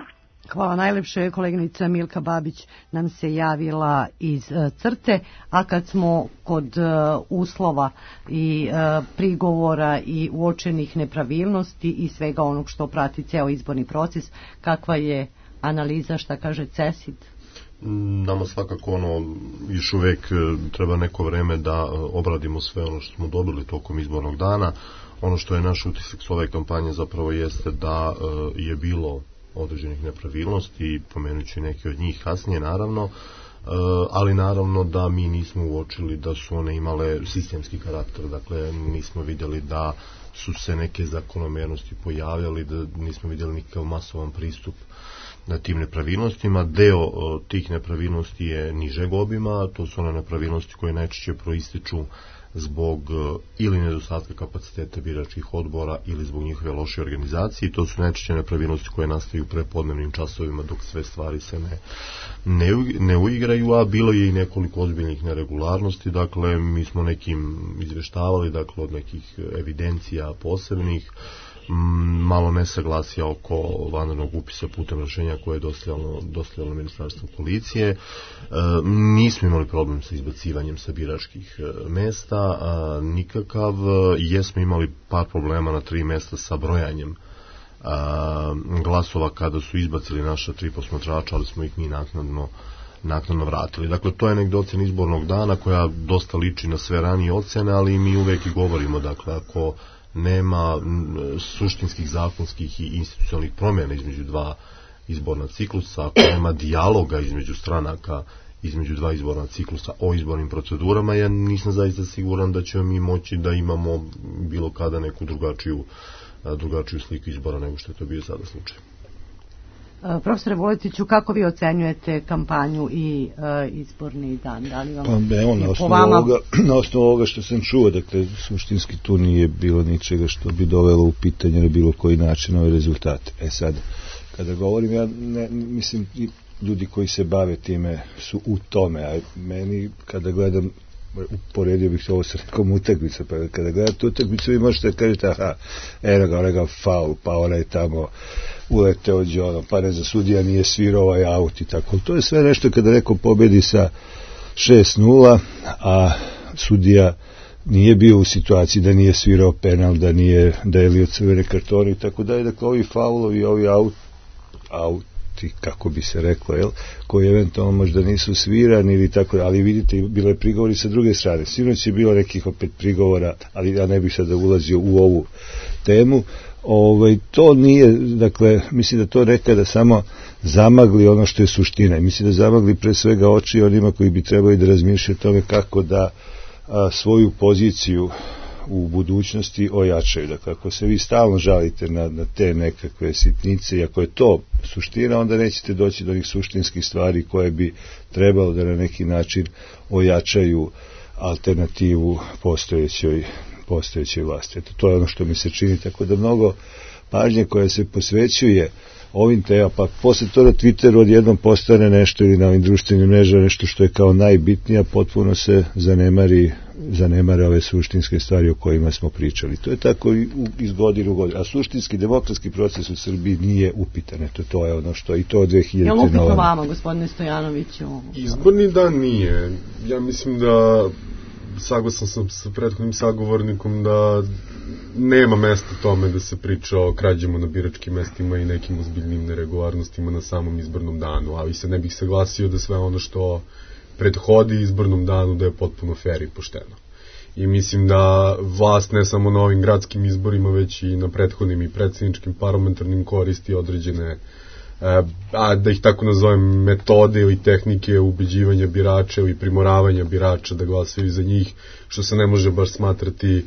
Speaker 2: Hvala najlepše. Koleginica Milka Babić nam se javila iz uh, CRTE, a kad smo kod uh, uslova i uh, prigovora i uočenih nepravilnosti i svega onog što prati ceo izborni proces, kakva je analiza, šta kaže CESID?
Speaker 6: Nama svakako ono, još uvek treba neko vreme da obradimo sve ono što smo dobili tokom izbornog dana. Ono što je naš utisak s ove kampanje zapravo jeste da je bilo određenih nepravilnosti i pomenut ću neke od njih kasnije naravno, ali naravno da mi nismo uočili da su one imale sistemski karakter, dakle nismo vidjeli da su se neke zakonomernosti pojavljali, da nismo vidjeli nikakav masovan pristup na tim nepravilnostima. Deo o, tih nepravilnosti je nižeg obima, to su one nepravilnosti koje najčešće proističu zbog o, ili nedostatka kapaciteta biračkih odbora ili zbog njihove loše organizacije. To su najčešće nepravilnosti koje nastaju u prepodnevnim časovima dok sve stvari se ne, ne, ne uigraju, a bilo je i nekoliko ozbiljnih neregularnosti. Dakle, mi smo nekim izveštavali, dakle, od nekih evidencija posebnih, malo nesaglasija oko vanrednog upisa putem rešenja koje je dostavljalo, dostavljalo Ministarstvo policije. E, nismo imali problem sa izbacivanjem sa biračkih e, mesta, a, nikakav. Jesmo imali par problema na tri mesta sa brojanjem a, glasova kada su izbacili naša tri posmatrača, ali smo ih mi naknadno naknadno vratili. Dakle, to je negdje ocena izbornog dana koja dosta liči na sve ranije ocene, ali mi uvek i govorimo, dakle, ako nema suštinskih, zakonskih i institucionalnih promjena između dva izborna ciklusa, ako nema dijaloga između stranaka, između dva izborna ciklusa o izbornim procedurama, ja nisam zaista siguran da ćemo mi moći da imamo bilo kada neku drugačiju, drugačiju sliku izbora nego što je to bio sada slučaj.
Speaker 2: Profesore Vuletiću, kako vi ocenjujete kampanju i uh, izborni dan? Da li vam
Speaker 7: pa evo, na osnovu,
Speaker 2: vama...
Speaker 7: ovoga, na osnovu ovoga što sam čuo, dakle, suštinski tu nije bilo ničega što bi dovelo u pitanje na bilo koji način ove rezultate. E sad, kada govorim, ja ne, mislim, ljudi koji se bave time su u tome, a meni kada gledam, uporedio bih ovo sa nekom utakmicom, pa kada gledate utakmicu vi možete da kažete, aha, eno ga, onega faul, pa ona je tamo uleteo Đonom, pa ne za sudija nije svirao ovaj aut i tako. To je sve nešto kada neko pobedi sa šest nula, a sudija nije bio u situaciji da nije svirao penal, da nije delio crvene kartone i tako dalje. Dakle, ovi faulovi, ovi aut, auti, kako bi se reklo, jel, koji eventualno možda nisu svirani ili tako, ali vidite, bilo je prigovori sa druge strane. Sinoć je bilo nekih opet prigovora, ali ja ne bih sada ulazio u ovu temu. Ovaj, to nije, dakle, mislim da to nekada samo zamagli ono što je suština. Mislim da zamagli pre svega oči onima koji bi trebali da razmišljaju o tome kako da a, svoju poziciju u budućnosti ojačaju. Dakle, ako se vi stalno žalite na, na te nekakve sitnice i ako je to suština, onda nećete doći do onih suštinskih stvari koje bi trebalo da na neki način ojačaju alternativu postojećoj postojećoj vlasti. Eto, to je ono što mi se čini, tako da mnogo pažnje koja se posvećuje ovim tema, pa posle to na Twitteru odjednom postane nešto ili na ovim društvenim mrežama nešto što je kao najbitnija, potpuno se zanemari, zanemare ove suštinske stvari o kojima smo pričali. To je tako i u, iz godine u godinu. A suštinski demokratski proces u Srbiji nije upitan. Eto, to je ono što i to od dve hiljadite.
Speaker 2: Je li upitno vama, gospodine Stojanoviću?
Speaker 5: Izborni dan nije. Ja mislim da saglasan sam sa prethodnim sagovornikom da nema mesta tome da se priča o krađama na biračkim mestima i nekim ozbiljnim neregularnostima na samom izbornom danu, ali se ne bih saglasio da sve ono što prethodi izbornom danu da je potpuno fair i pošteno. I mislim da vlast ne samo na ovim gradskim izborima, već i na prethodnim i predsjedničkim parlamentarnim koristi određene, a da ih tako nazovem, metode ili tehnike ubeđivanja birača ili primoravanja birača da glasaju za njih, što se ne može baš smatrati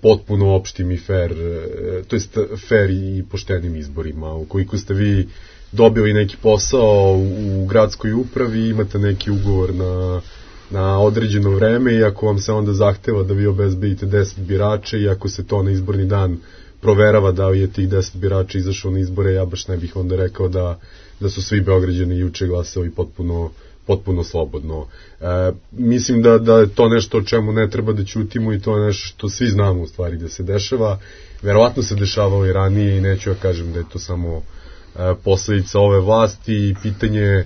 Speaker 5: potpuno opštim i fair, to jest fair i poštenim izborima. Ukoliko ste vi dobili neki posao u gradskoj upravi, imate neki ugovor na, na određeno vreme i ako vam se onda zahteva da vi obezbedite deset birača i ako se to na izborni dan proverava da li je tih deset birača izašao na izbore, ja baš ne bih onda rekao da, da su svi Beograđani juče glasali potpuno, potpuno slobodno. E, mislim da, da je to nešto o čemu ne treba da ćutimo i to je nešto što svi znamo u stvari da se dešava. Verovatno se dešavalo i ranije i neću ja kažem da je to samo e, posledica ove vlasti i pitanje e,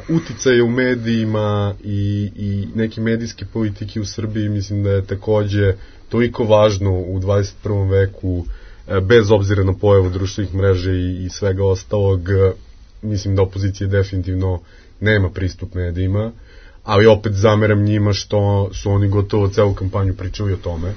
Speaker 5: uticaje u medijima i, i neke medijske politike u Srbiji. Mislim da je takođe toliko važno u dvadeset prvom veku, e, bez obzira na pojavu društvenih mreža i, i svega ostalog. E, mislim da opozicija definitivno nema pristup medijima, ali opet zameram njima što su oni gotovo celu kampanju pričali o tome,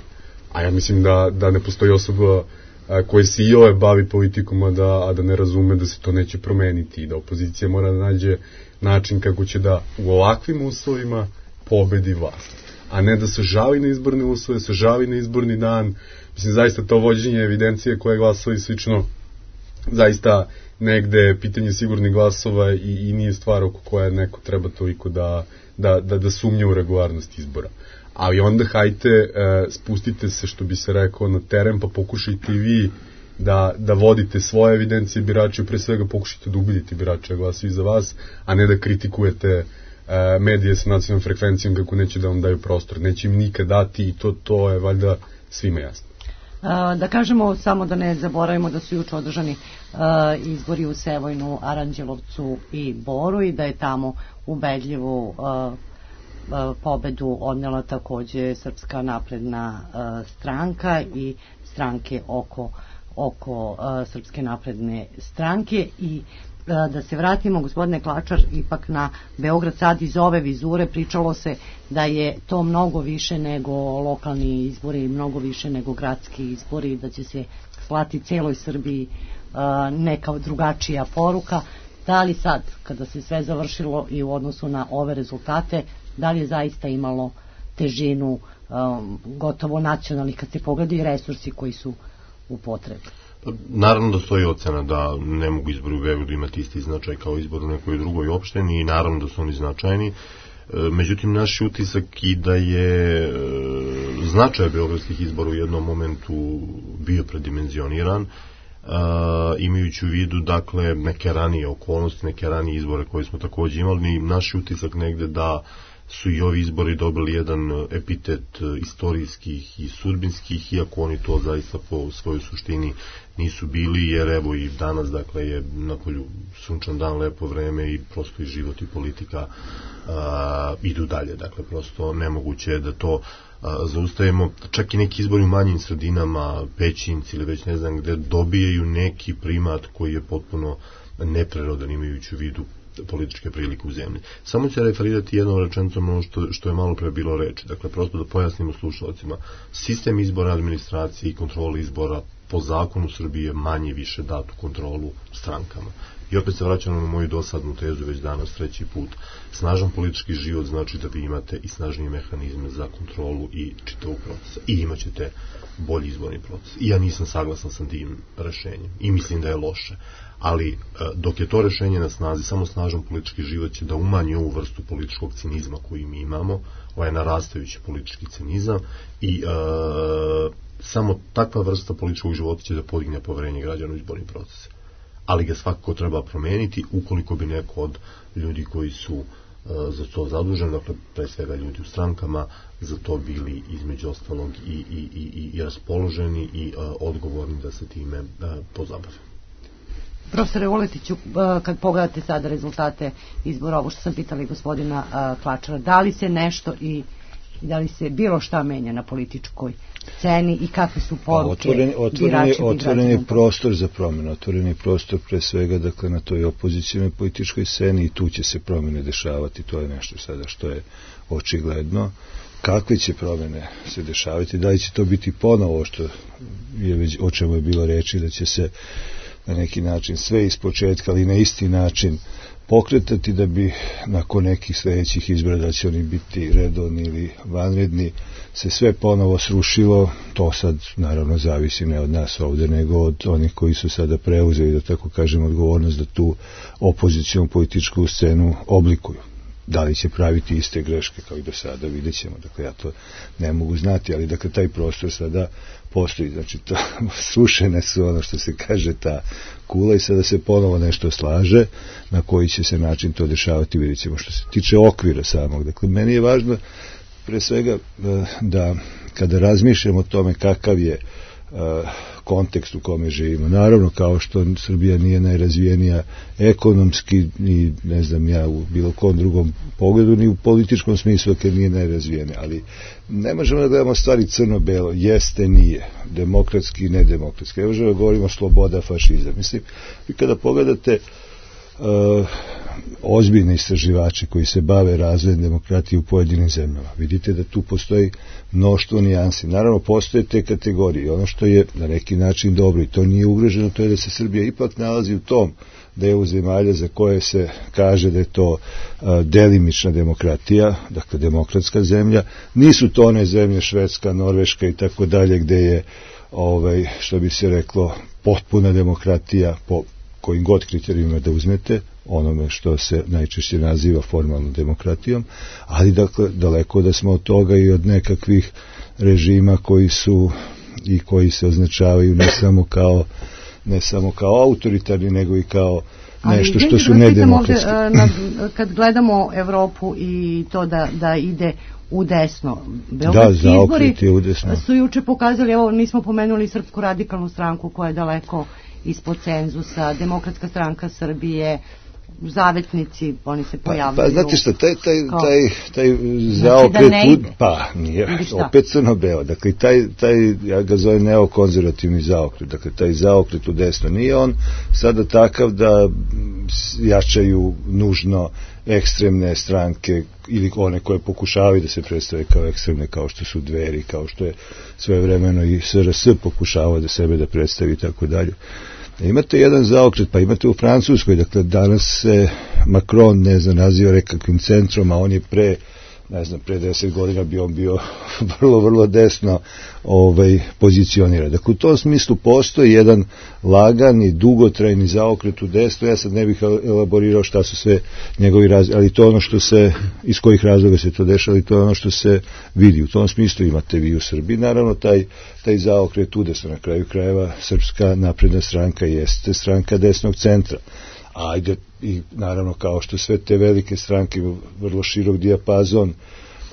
Speaker 5: a ja mislim da, da ne postoji osoba a, koja se i ove bavi politikom, a da, a da ne razume da se to neće promeniti i da opozicija mora da nađe način kako će da u ovakvim uslovima pobedi vlast, a ne da se žali na izborne uslove, se žali na izborni dan. Mislim, zaista to vođenje evidencije koje glasova i slično, zaista negde pitanje sigurnih glasova i, i nije stvar oko koja neko treba toliko da, da, da, da sumnja u regularnost izbora. Ali onda hajte, e, spustite se, što bi se rekao, na teren, pa pokušajte i vi da, da vodite svoje evidencije birača, pre svega pokušajte da ubedite birača da glasaju za vas, a ne da kritikujete e, medije sa nacionalnom frekvencijom kako neće da vam daju prostor. Neće im nikad dati i to, to je valjda svima jasno.
Speaker 2: Da kažemo samo da ne zaboravimo da su juče održani uh, izbori u Sevojnu, Aranđelovcu i Boru i da je tamo ubedljivu uh, uh, pobedu odnela takođe Srpska napredna uh, stranka i stranke oko, oko uh, Srpske napredne stranke. I da se vratimo, gospodine Klačar, ipak na Beograd sad. Iz ove vizure pričalo se da je to mnogo više nego lokalni izbori, mnogo više nego gradski izbori, da će se slati celoj Srbiji neka drugačija poruka. Da li sad, kada se sve završilo i u odnosu na ove rezultate, da li je zaista imalo težinu um, gotovo nacionalnih, kad se pogledaju resursi koji su u potrebi?
Speaker 6: Naravno da stoji ocena da ne mogu izbori u Beogradu imati isti značaj kao izbor u nekoj drugoj opštini i naravno da su oni značajni. Međutim, naš utisak i da je značaj beogradskih izbora u jednom momentu bio predimenzioniran, imajući u vidu dakle neke ranije okolnosti, neke ranije izbore koje smo takođe imali. Naš utisak negde da su i ovi izbori dobili jedan epitet istorijskih i sudbinskih, iako oni to zaista po svojoj suštini nisu bili, jer evo i danas dakle je napolju sunčan dan, lepo vreme i prosto i život i politika a, idu dalje, dakle prosto nemoguće je da to a, zaustavimo. Čak i neki izbori u manjim sredinama, Pećinci ili već ne znam gde, dobijaju neki primat koji je potpuno neprirodan imajući u vidu političke prilike u zemlji. Samo ću referirati jednom rečenicom ono što, što je malo pre bilo reči. Dakle, prosto da pojasnimo slušalcima. Sistem izbora, administracije i kontrole izbora po zakonu Srbije manje više datu kontrolu strankama. I opet se vraćamo na moju dosadnu tezu već danas treći put. Snažan politički život znači da vi imate i snažnije mehanizme za kontrolu i čitavog procesa. I imat ćete bolji izborni proces. I ja nisam saglasan sa tim rešenjem. I mislim da je loše. Ali dok je to rešenje na snazi, samo snažan politički život će da umanji ovu vrstu političkog cinizma koju mi imamo, ovaj narastajući politički cinizam i e, samo takva vrsta političkog života će da podigne poverenje građana u izborni proces. Ali ga svakako treba promeniti ukoliko bi neko od ljudi koji su e, za to zaduženi, dakle pre svega ljudi u strankama, za to bili između ostalog i, i, i, i raspoloženi i e, odgovorni da se time e, pozabave.
Speaker 2: Profesore Vuletiću, kad pogledate sada rezultate izbora, ovo što sam pitala i gospodina Klačara, da li se nešto i da li se bilo šta menja na političkoj sceni i kakve su poruke
Speaker 7: otvoren, otvoren, otvoren je prostor za promjenu, otvoren je prostor pre svega dakle, na toj opozicijnoj političkoj sceni i tu će se promjene dešavati, to je nešto sada što je očigledno. Kakve će promjene se dešavati, da li će to biti ponovo što je već, o čemu je bilo reči, da će se na neki način sve ispočetka, ali na isti način pokretati da bi nakon nekih sledećih izbora, da će oni biti redovni ili vanredni, se sve ponovo srušilo. To sad naravno zavisi ne od nas ovde, nego od onih koji su sada preuzeli, da tako kažem, odgovornost da tu opozicijonu političku scenu oblikuju. Da li će praviti iste greške kao i do sada, vidjet ćemo. Dakle, ja to ne mogu znati, ali dakle, taj prostor sada postoji. Znači, to, srušene su ono što se kaže ta kula i sada se ponovo nešto slaže, na koji će se način to dešavati, vidjet ćemo. Što se tiče okvira samog, dakle, meni je važno pre svega da kada razmišljamo o tome kakav je kontekst u kome živimo. Naravno, kao što Srbija nije najrazvijenija ekonomski, ni ne znam ja u bilo kom drugom pogledu, ni u političkom smislu kad nije najrazvijenija, ali ne možemo da gledamo stvari crno-belo, jeste, nije, demokratski, nedemokratski, ne možemo da govorimo sloboda, fašizam. Mislim, i kada pogledate Uh, ozbiljni istraživači koji se bave razvojem demokratije u pojedinim zemljama, vidite da tu postoji mnoštvo nijansi. Naravno, postoje te kategorije. Ono što je na neki način dobro i to nije ugroženo, to je da se Srbija ipak nalazi u tom delu zemalja za koje se kaže da je to uh, delimična demokratija, dakle demokratska zemlja. Nisu to one zemlje Švedska, Norveška i tako dalje gde je, ovaj, što bi se reklo, potpuna demokratija po kojim god kriterijima da uzmete, onome što se najčešće naziva formalnom demokratijom, ali dakle daleko da smo od toga i od nekakvih režima koji su i koji se označavaju ne samo kao ne samo kao autoritarni, nego i kao nešto što su nedemokratski.
Speaker 2: Kad gledamo Evropu i to da, da ide u desno.
Speaker 7: Beogradski da, izbori u desno.
Speaker 2: Su juče pokazali, evo nismo pomenuli Srpsku radikalnu stranku koja je daleko ispod cenzusa, Demokratska stranka Srbije, zavetnici, oni se pojavljaju.
Speaker 7: Pa, pa znate šta, taj, taj, taj, taj zaokret, znači da pa nije, opet crno-beo, dakle taj, taj, ja ga zovem neokonzervativni zaokret, dakle taj zaokret u desno, nije on sada takav da jačaju nužno ekstremne stranke ili one koje pokušavaju da se predstave kao ekstremne, kao što su Dveri, kao što je svojevremeno i S R S pokušavao da sebe da predstavi i tako dalje. Imate jedan zaokret, pa imate u Francuskoj, dakle danas se Macron, ne znam, naziva nekakvim centrom, a on je pre, ne znam, pre deset godina bi on bio vrlo, vrlo desno ovaj, pozicioniran. Dakle, u tom smislu postoji jedan lagan i dugotrajni zaokret u desno, ja sad ne bih elaborirao šta su sve njegovi razlozi, ali to ono što se, iz kojih razloga se to dešava, to je ono što se vidi. U tom smislu imate vi u Srbiji, naravno, taj, taj zaokret u desno, na kraju krajeva Srpska napredna stranka jeste stranka desnog centra. Ajde, i naravno kao što sve te velike stranke imaju vrlo širok dijapazon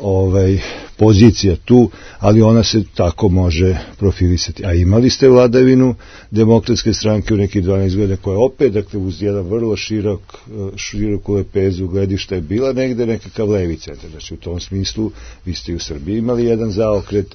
Speaker 7: ovaj, pozicija tu, ali ona se tako može profilisati. A imali ste vladavinu demokratske stranke u nekih dvanaest godina koja opet, dakle, uz jedan vrlo širok, široku lepezu gledišta je bila negde nekakav levi centar. Znači, u tom smislu vi ste u Srbiji imali jedan zaokret,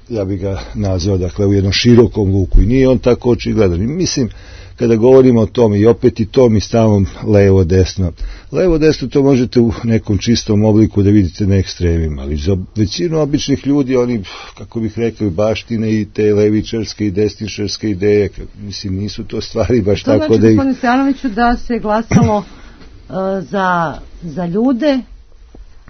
Speaker 7: ja bih ga nazvao, dakle, u jednom širokom luku i nije on tako očigledan. I mislim, kada govorimo o tome i opet i tom i stavom levo-desno. Levo-desno to možete u nekom čistom obliku da vidite na ekstremima, ali za većinu običnih ljudi oni, kako bih rekao, baštine i te levičarske i desničarske ideje, mislim, nisu to stvari baš to tako
Speaker 2: znači,
Speaker 7: da ih...
Speaker 2: To znači, gospodine Stojanoviću, da se glasalo uh, za, za ljude,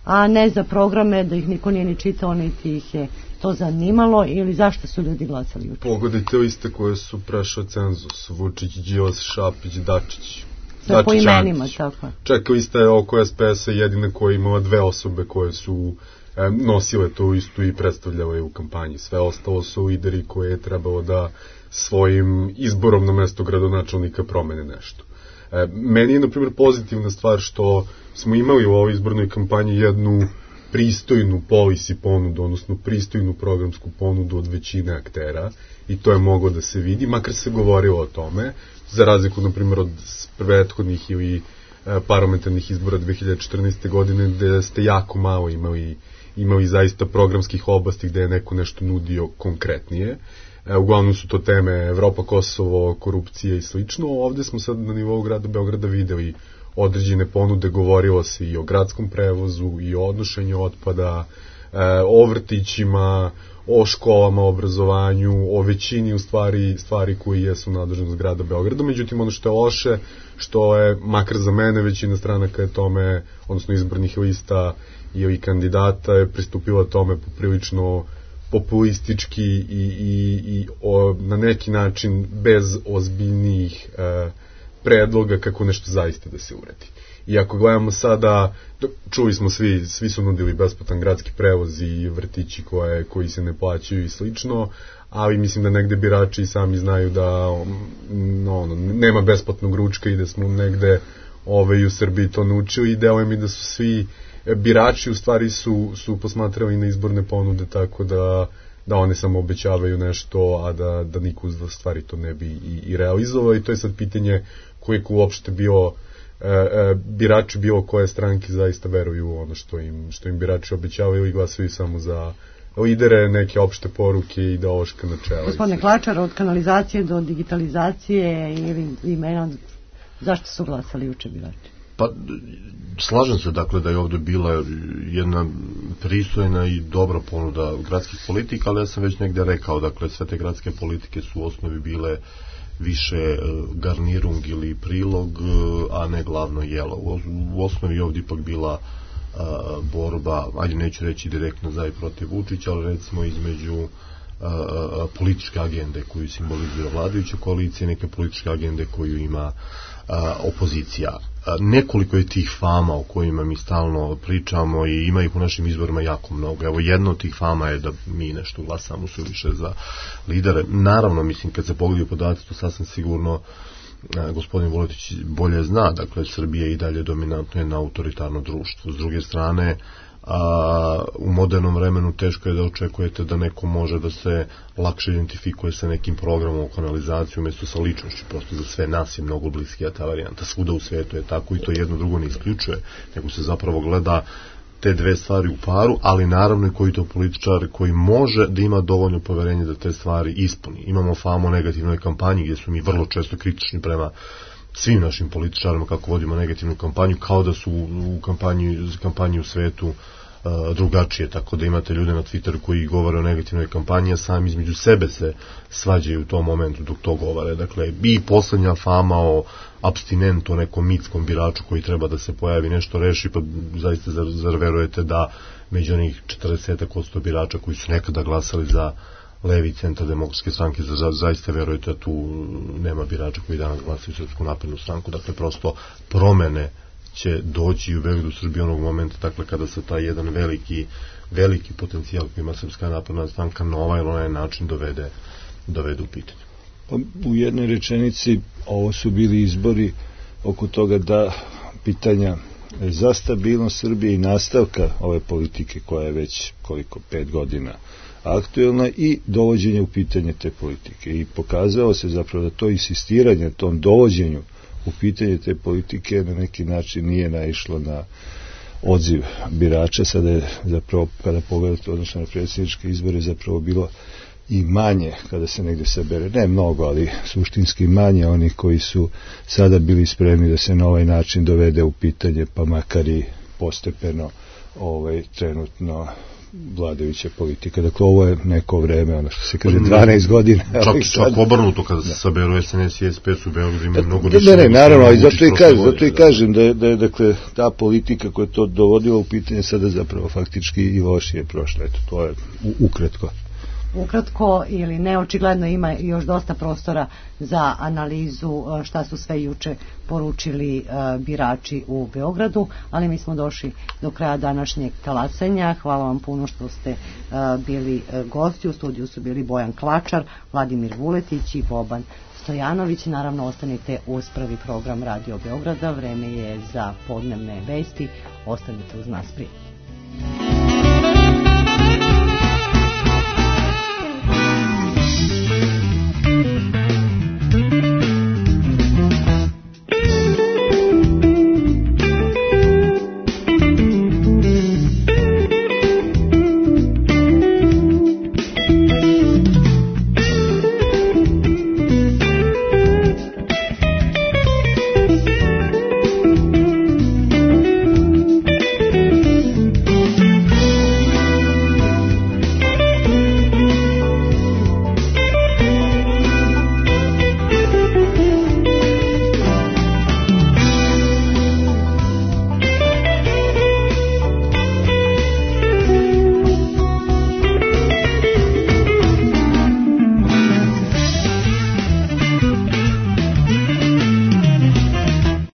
Speaker 2: a ne za programe, da ih niko nije ni čitao, niti ih je to zanimalo, ili zašto su ljudi glasali juče?
Speaker 5: Pogledajte liste koje su prešao cenzus, Vučić, Đilas, Šapić, Dačić.
Speaker 2: Sve po imenima, tako.
Speaker 5: Čak lista je oko S P S-a jedina koja imala dve osobe koje su e, nosile to istu i predstavljale u kampanji. Sve ostalo su lideri koje je trebalo da svojim izborom na mesto gradonačelnika promene nešto. E, meni je, na primjer, pozitivna stvar što smo imali u ovoj izbornoj kampanji jednu pristojnu policy ponudu, odnosno pristojnu programsku ponudu od većine aktera i to je moglo da se vidi, makar se govorilo o tome, za razliku, na primjer, od prethodnih ili e, parlamentarnih izbora dve hiljade četrnaeste. godine, gde ste jako malo imali, imali zaista programskih oblasti gde je neko nešto nudio konkretnije. E, uglavnom su to teme Evropa, Kosovo, korupcija i slično. Ovde smo sad na nivou grada Beograda videli određene ponude, govorilo se i o gradskom prevozu i o odnošenju otpada, o vrtićima, o školama, o obrazovanju, o većini u stvari, stvari koji jesu nadležnost grada Beograda. Međutim, ono što je loše, što je, makar za mene, većina stranaka je tome, odnosno izbornih lista i ovih kandidata je pristupila tome poprilično populistički i, i, i o, na neki način bez ozbiljnih e, predloga kako nešto zaista da se uradi. I ako gledamo sada, čuli smo svi, svi su nudili besplatan gradski prevoz i vrtići koje, koji se ne plaćaju i slično, ali mislim da negde birači sami znaju da no, nema besplatnog ručka i da smo negde ove, u Srbiji to naučili i deluje mi da su svi birači u stvari su, su posmatrali na izborne ponude tako da, da one samo obećavaju nešto, a da, da niko u stvari to ne bi i, i realizovao i to je sad pitanje koliko uopšte bilo e, e, birači bilo koje stranke zaista veruju u ono što im, što im birači obećavaju i glasaju samo za lidere, neke opšte poruke i ideološka načela.
Speaker 2: Gospodine Klačar, od kanalizacije do digitalizacije ili imena, zašto su glasali juče birači?
Speaker 6: Pa, slažem se dakle da je ovde bila jedna pristojna i dobra ponuda gradskih politika, ali ja sam već negde rekao, dakle sve te gradske politike su u osnovi bile više garnirung ili prilog, a ne glavno jelo. U osnovi ovdje ipak bila a, borba, ajde neću reći direktno za i protiv Vučića, ali recimo između a, a, političke agende koju simbolizuje vladajuća koalicija i neke političke agende koju ima a, opozicija. Nekoliko je tih fama o kojima mi stalno pričamo i ima ih u našim izborima jako mnogo. Evo, jedna od tih fama je da mi nešto glasamo su više za lidere. Naravno, mislim, kad se pogledaju podaci, to sasvim sigurno a, gospodin Vuletić bolje zna, dakle, Srbija i dalje dominantno je na autoritarno društvo. S druge strane, a, u modernom vremenu teško je da očekujete da neko može da se lakše identifikuje sa nekim programom u kanalizaciju umjesto sa ličnošću, prosto za sve nas je mnogo bliskija ta varijanta, svuda u svijetu je tako i to jedno drugo ne isključuje, nego se zapravo gleda te dve stvari u paru, ali naravno i koji to političar koji može da ima dovoljno poverenje da te stvari ispuni. Imamo famu o negativnoj kampanji gdje su mi vrlo često kritični prema svim našim političarima kako vodimo negativnu kampanju, kao da su u kampanji, kampanji u svetu uh, drugačije, tako da imate ljude na Twitteru koji govore o negativnoj kampanji, a sami između sebe se svađaju u tom momentu dok to govore. Dakle, i poslednja fama o abstinentu, o nekom mitskom biraču koji treba da se pojavi, nešto reši, pa zaista zar, zar verujete da među onih četrdeset posto birača koji su nekada glasali za levi centar demokratske stranke, za, zaista verujete da tu nema birača koji danas glasaju Srpsku naprednu stranku, dakle prosto promene će doći u Beogradu, Srbiji onog momenta, dakle kada se taj jedan veliki veliki potencijal koji ima Srpska napredna stranka na ovaj ili onaj način dovede, dovede u pitanje.
Speaker 7: Pa, u jednoj rečenici ovo su bili izbori oko toga da pitanja za stabilnost Srbije i nastavka ove politike koja je već koliko pet godina aktuelna i dovođenje u pitanje te politike i pokazalo se zapravo da to insistiranje, tom dovođenju u pitanje te politike na neki način nije naišlo na odziv birača. Sada je zapravo, kada pogledate odnosno na predsjedničke izbore, zapravo bilo i manje, kada se negdje sabere, ne mnogo, ali suštinski manje onih koji su sada bili spremni da se na ovaj način dovede u pitanje, pa makar i postepeno ovaj, trenutno vladajuća politika. Dakle, ovo je neko vreme, ono što se kaže, dvanaest godina.
Speaker 6: Čak, čak obrnuto, kada se saberu S N S i S P S u Beogradu ima mnogo više.
Speaker 7: Ne, ne, naravno, i zato i kažem, zato i kažem da je, da je, dakle, ta politika koja je to dovodila u pitanje sada zapravo faktički i lošije prošla. Eto, to je ukratko.
Speaker 2: Ukratko ili neočigledno ima još dosta prostora za analizu šta su sve juče poručili uh, birači u Beogradu, ali mi smo došli do kraja današnjeg talasanja. Hvala vam puno što ste uh, bili uh, gosti. U studiju su bili Bojan Klačar, Vladimir Vuletić i Boban Stojanović. Naravno, ostanite uz prvi program Radio Beograda. Vreme je za podnevne vesti. Ostanite uz nas, prije.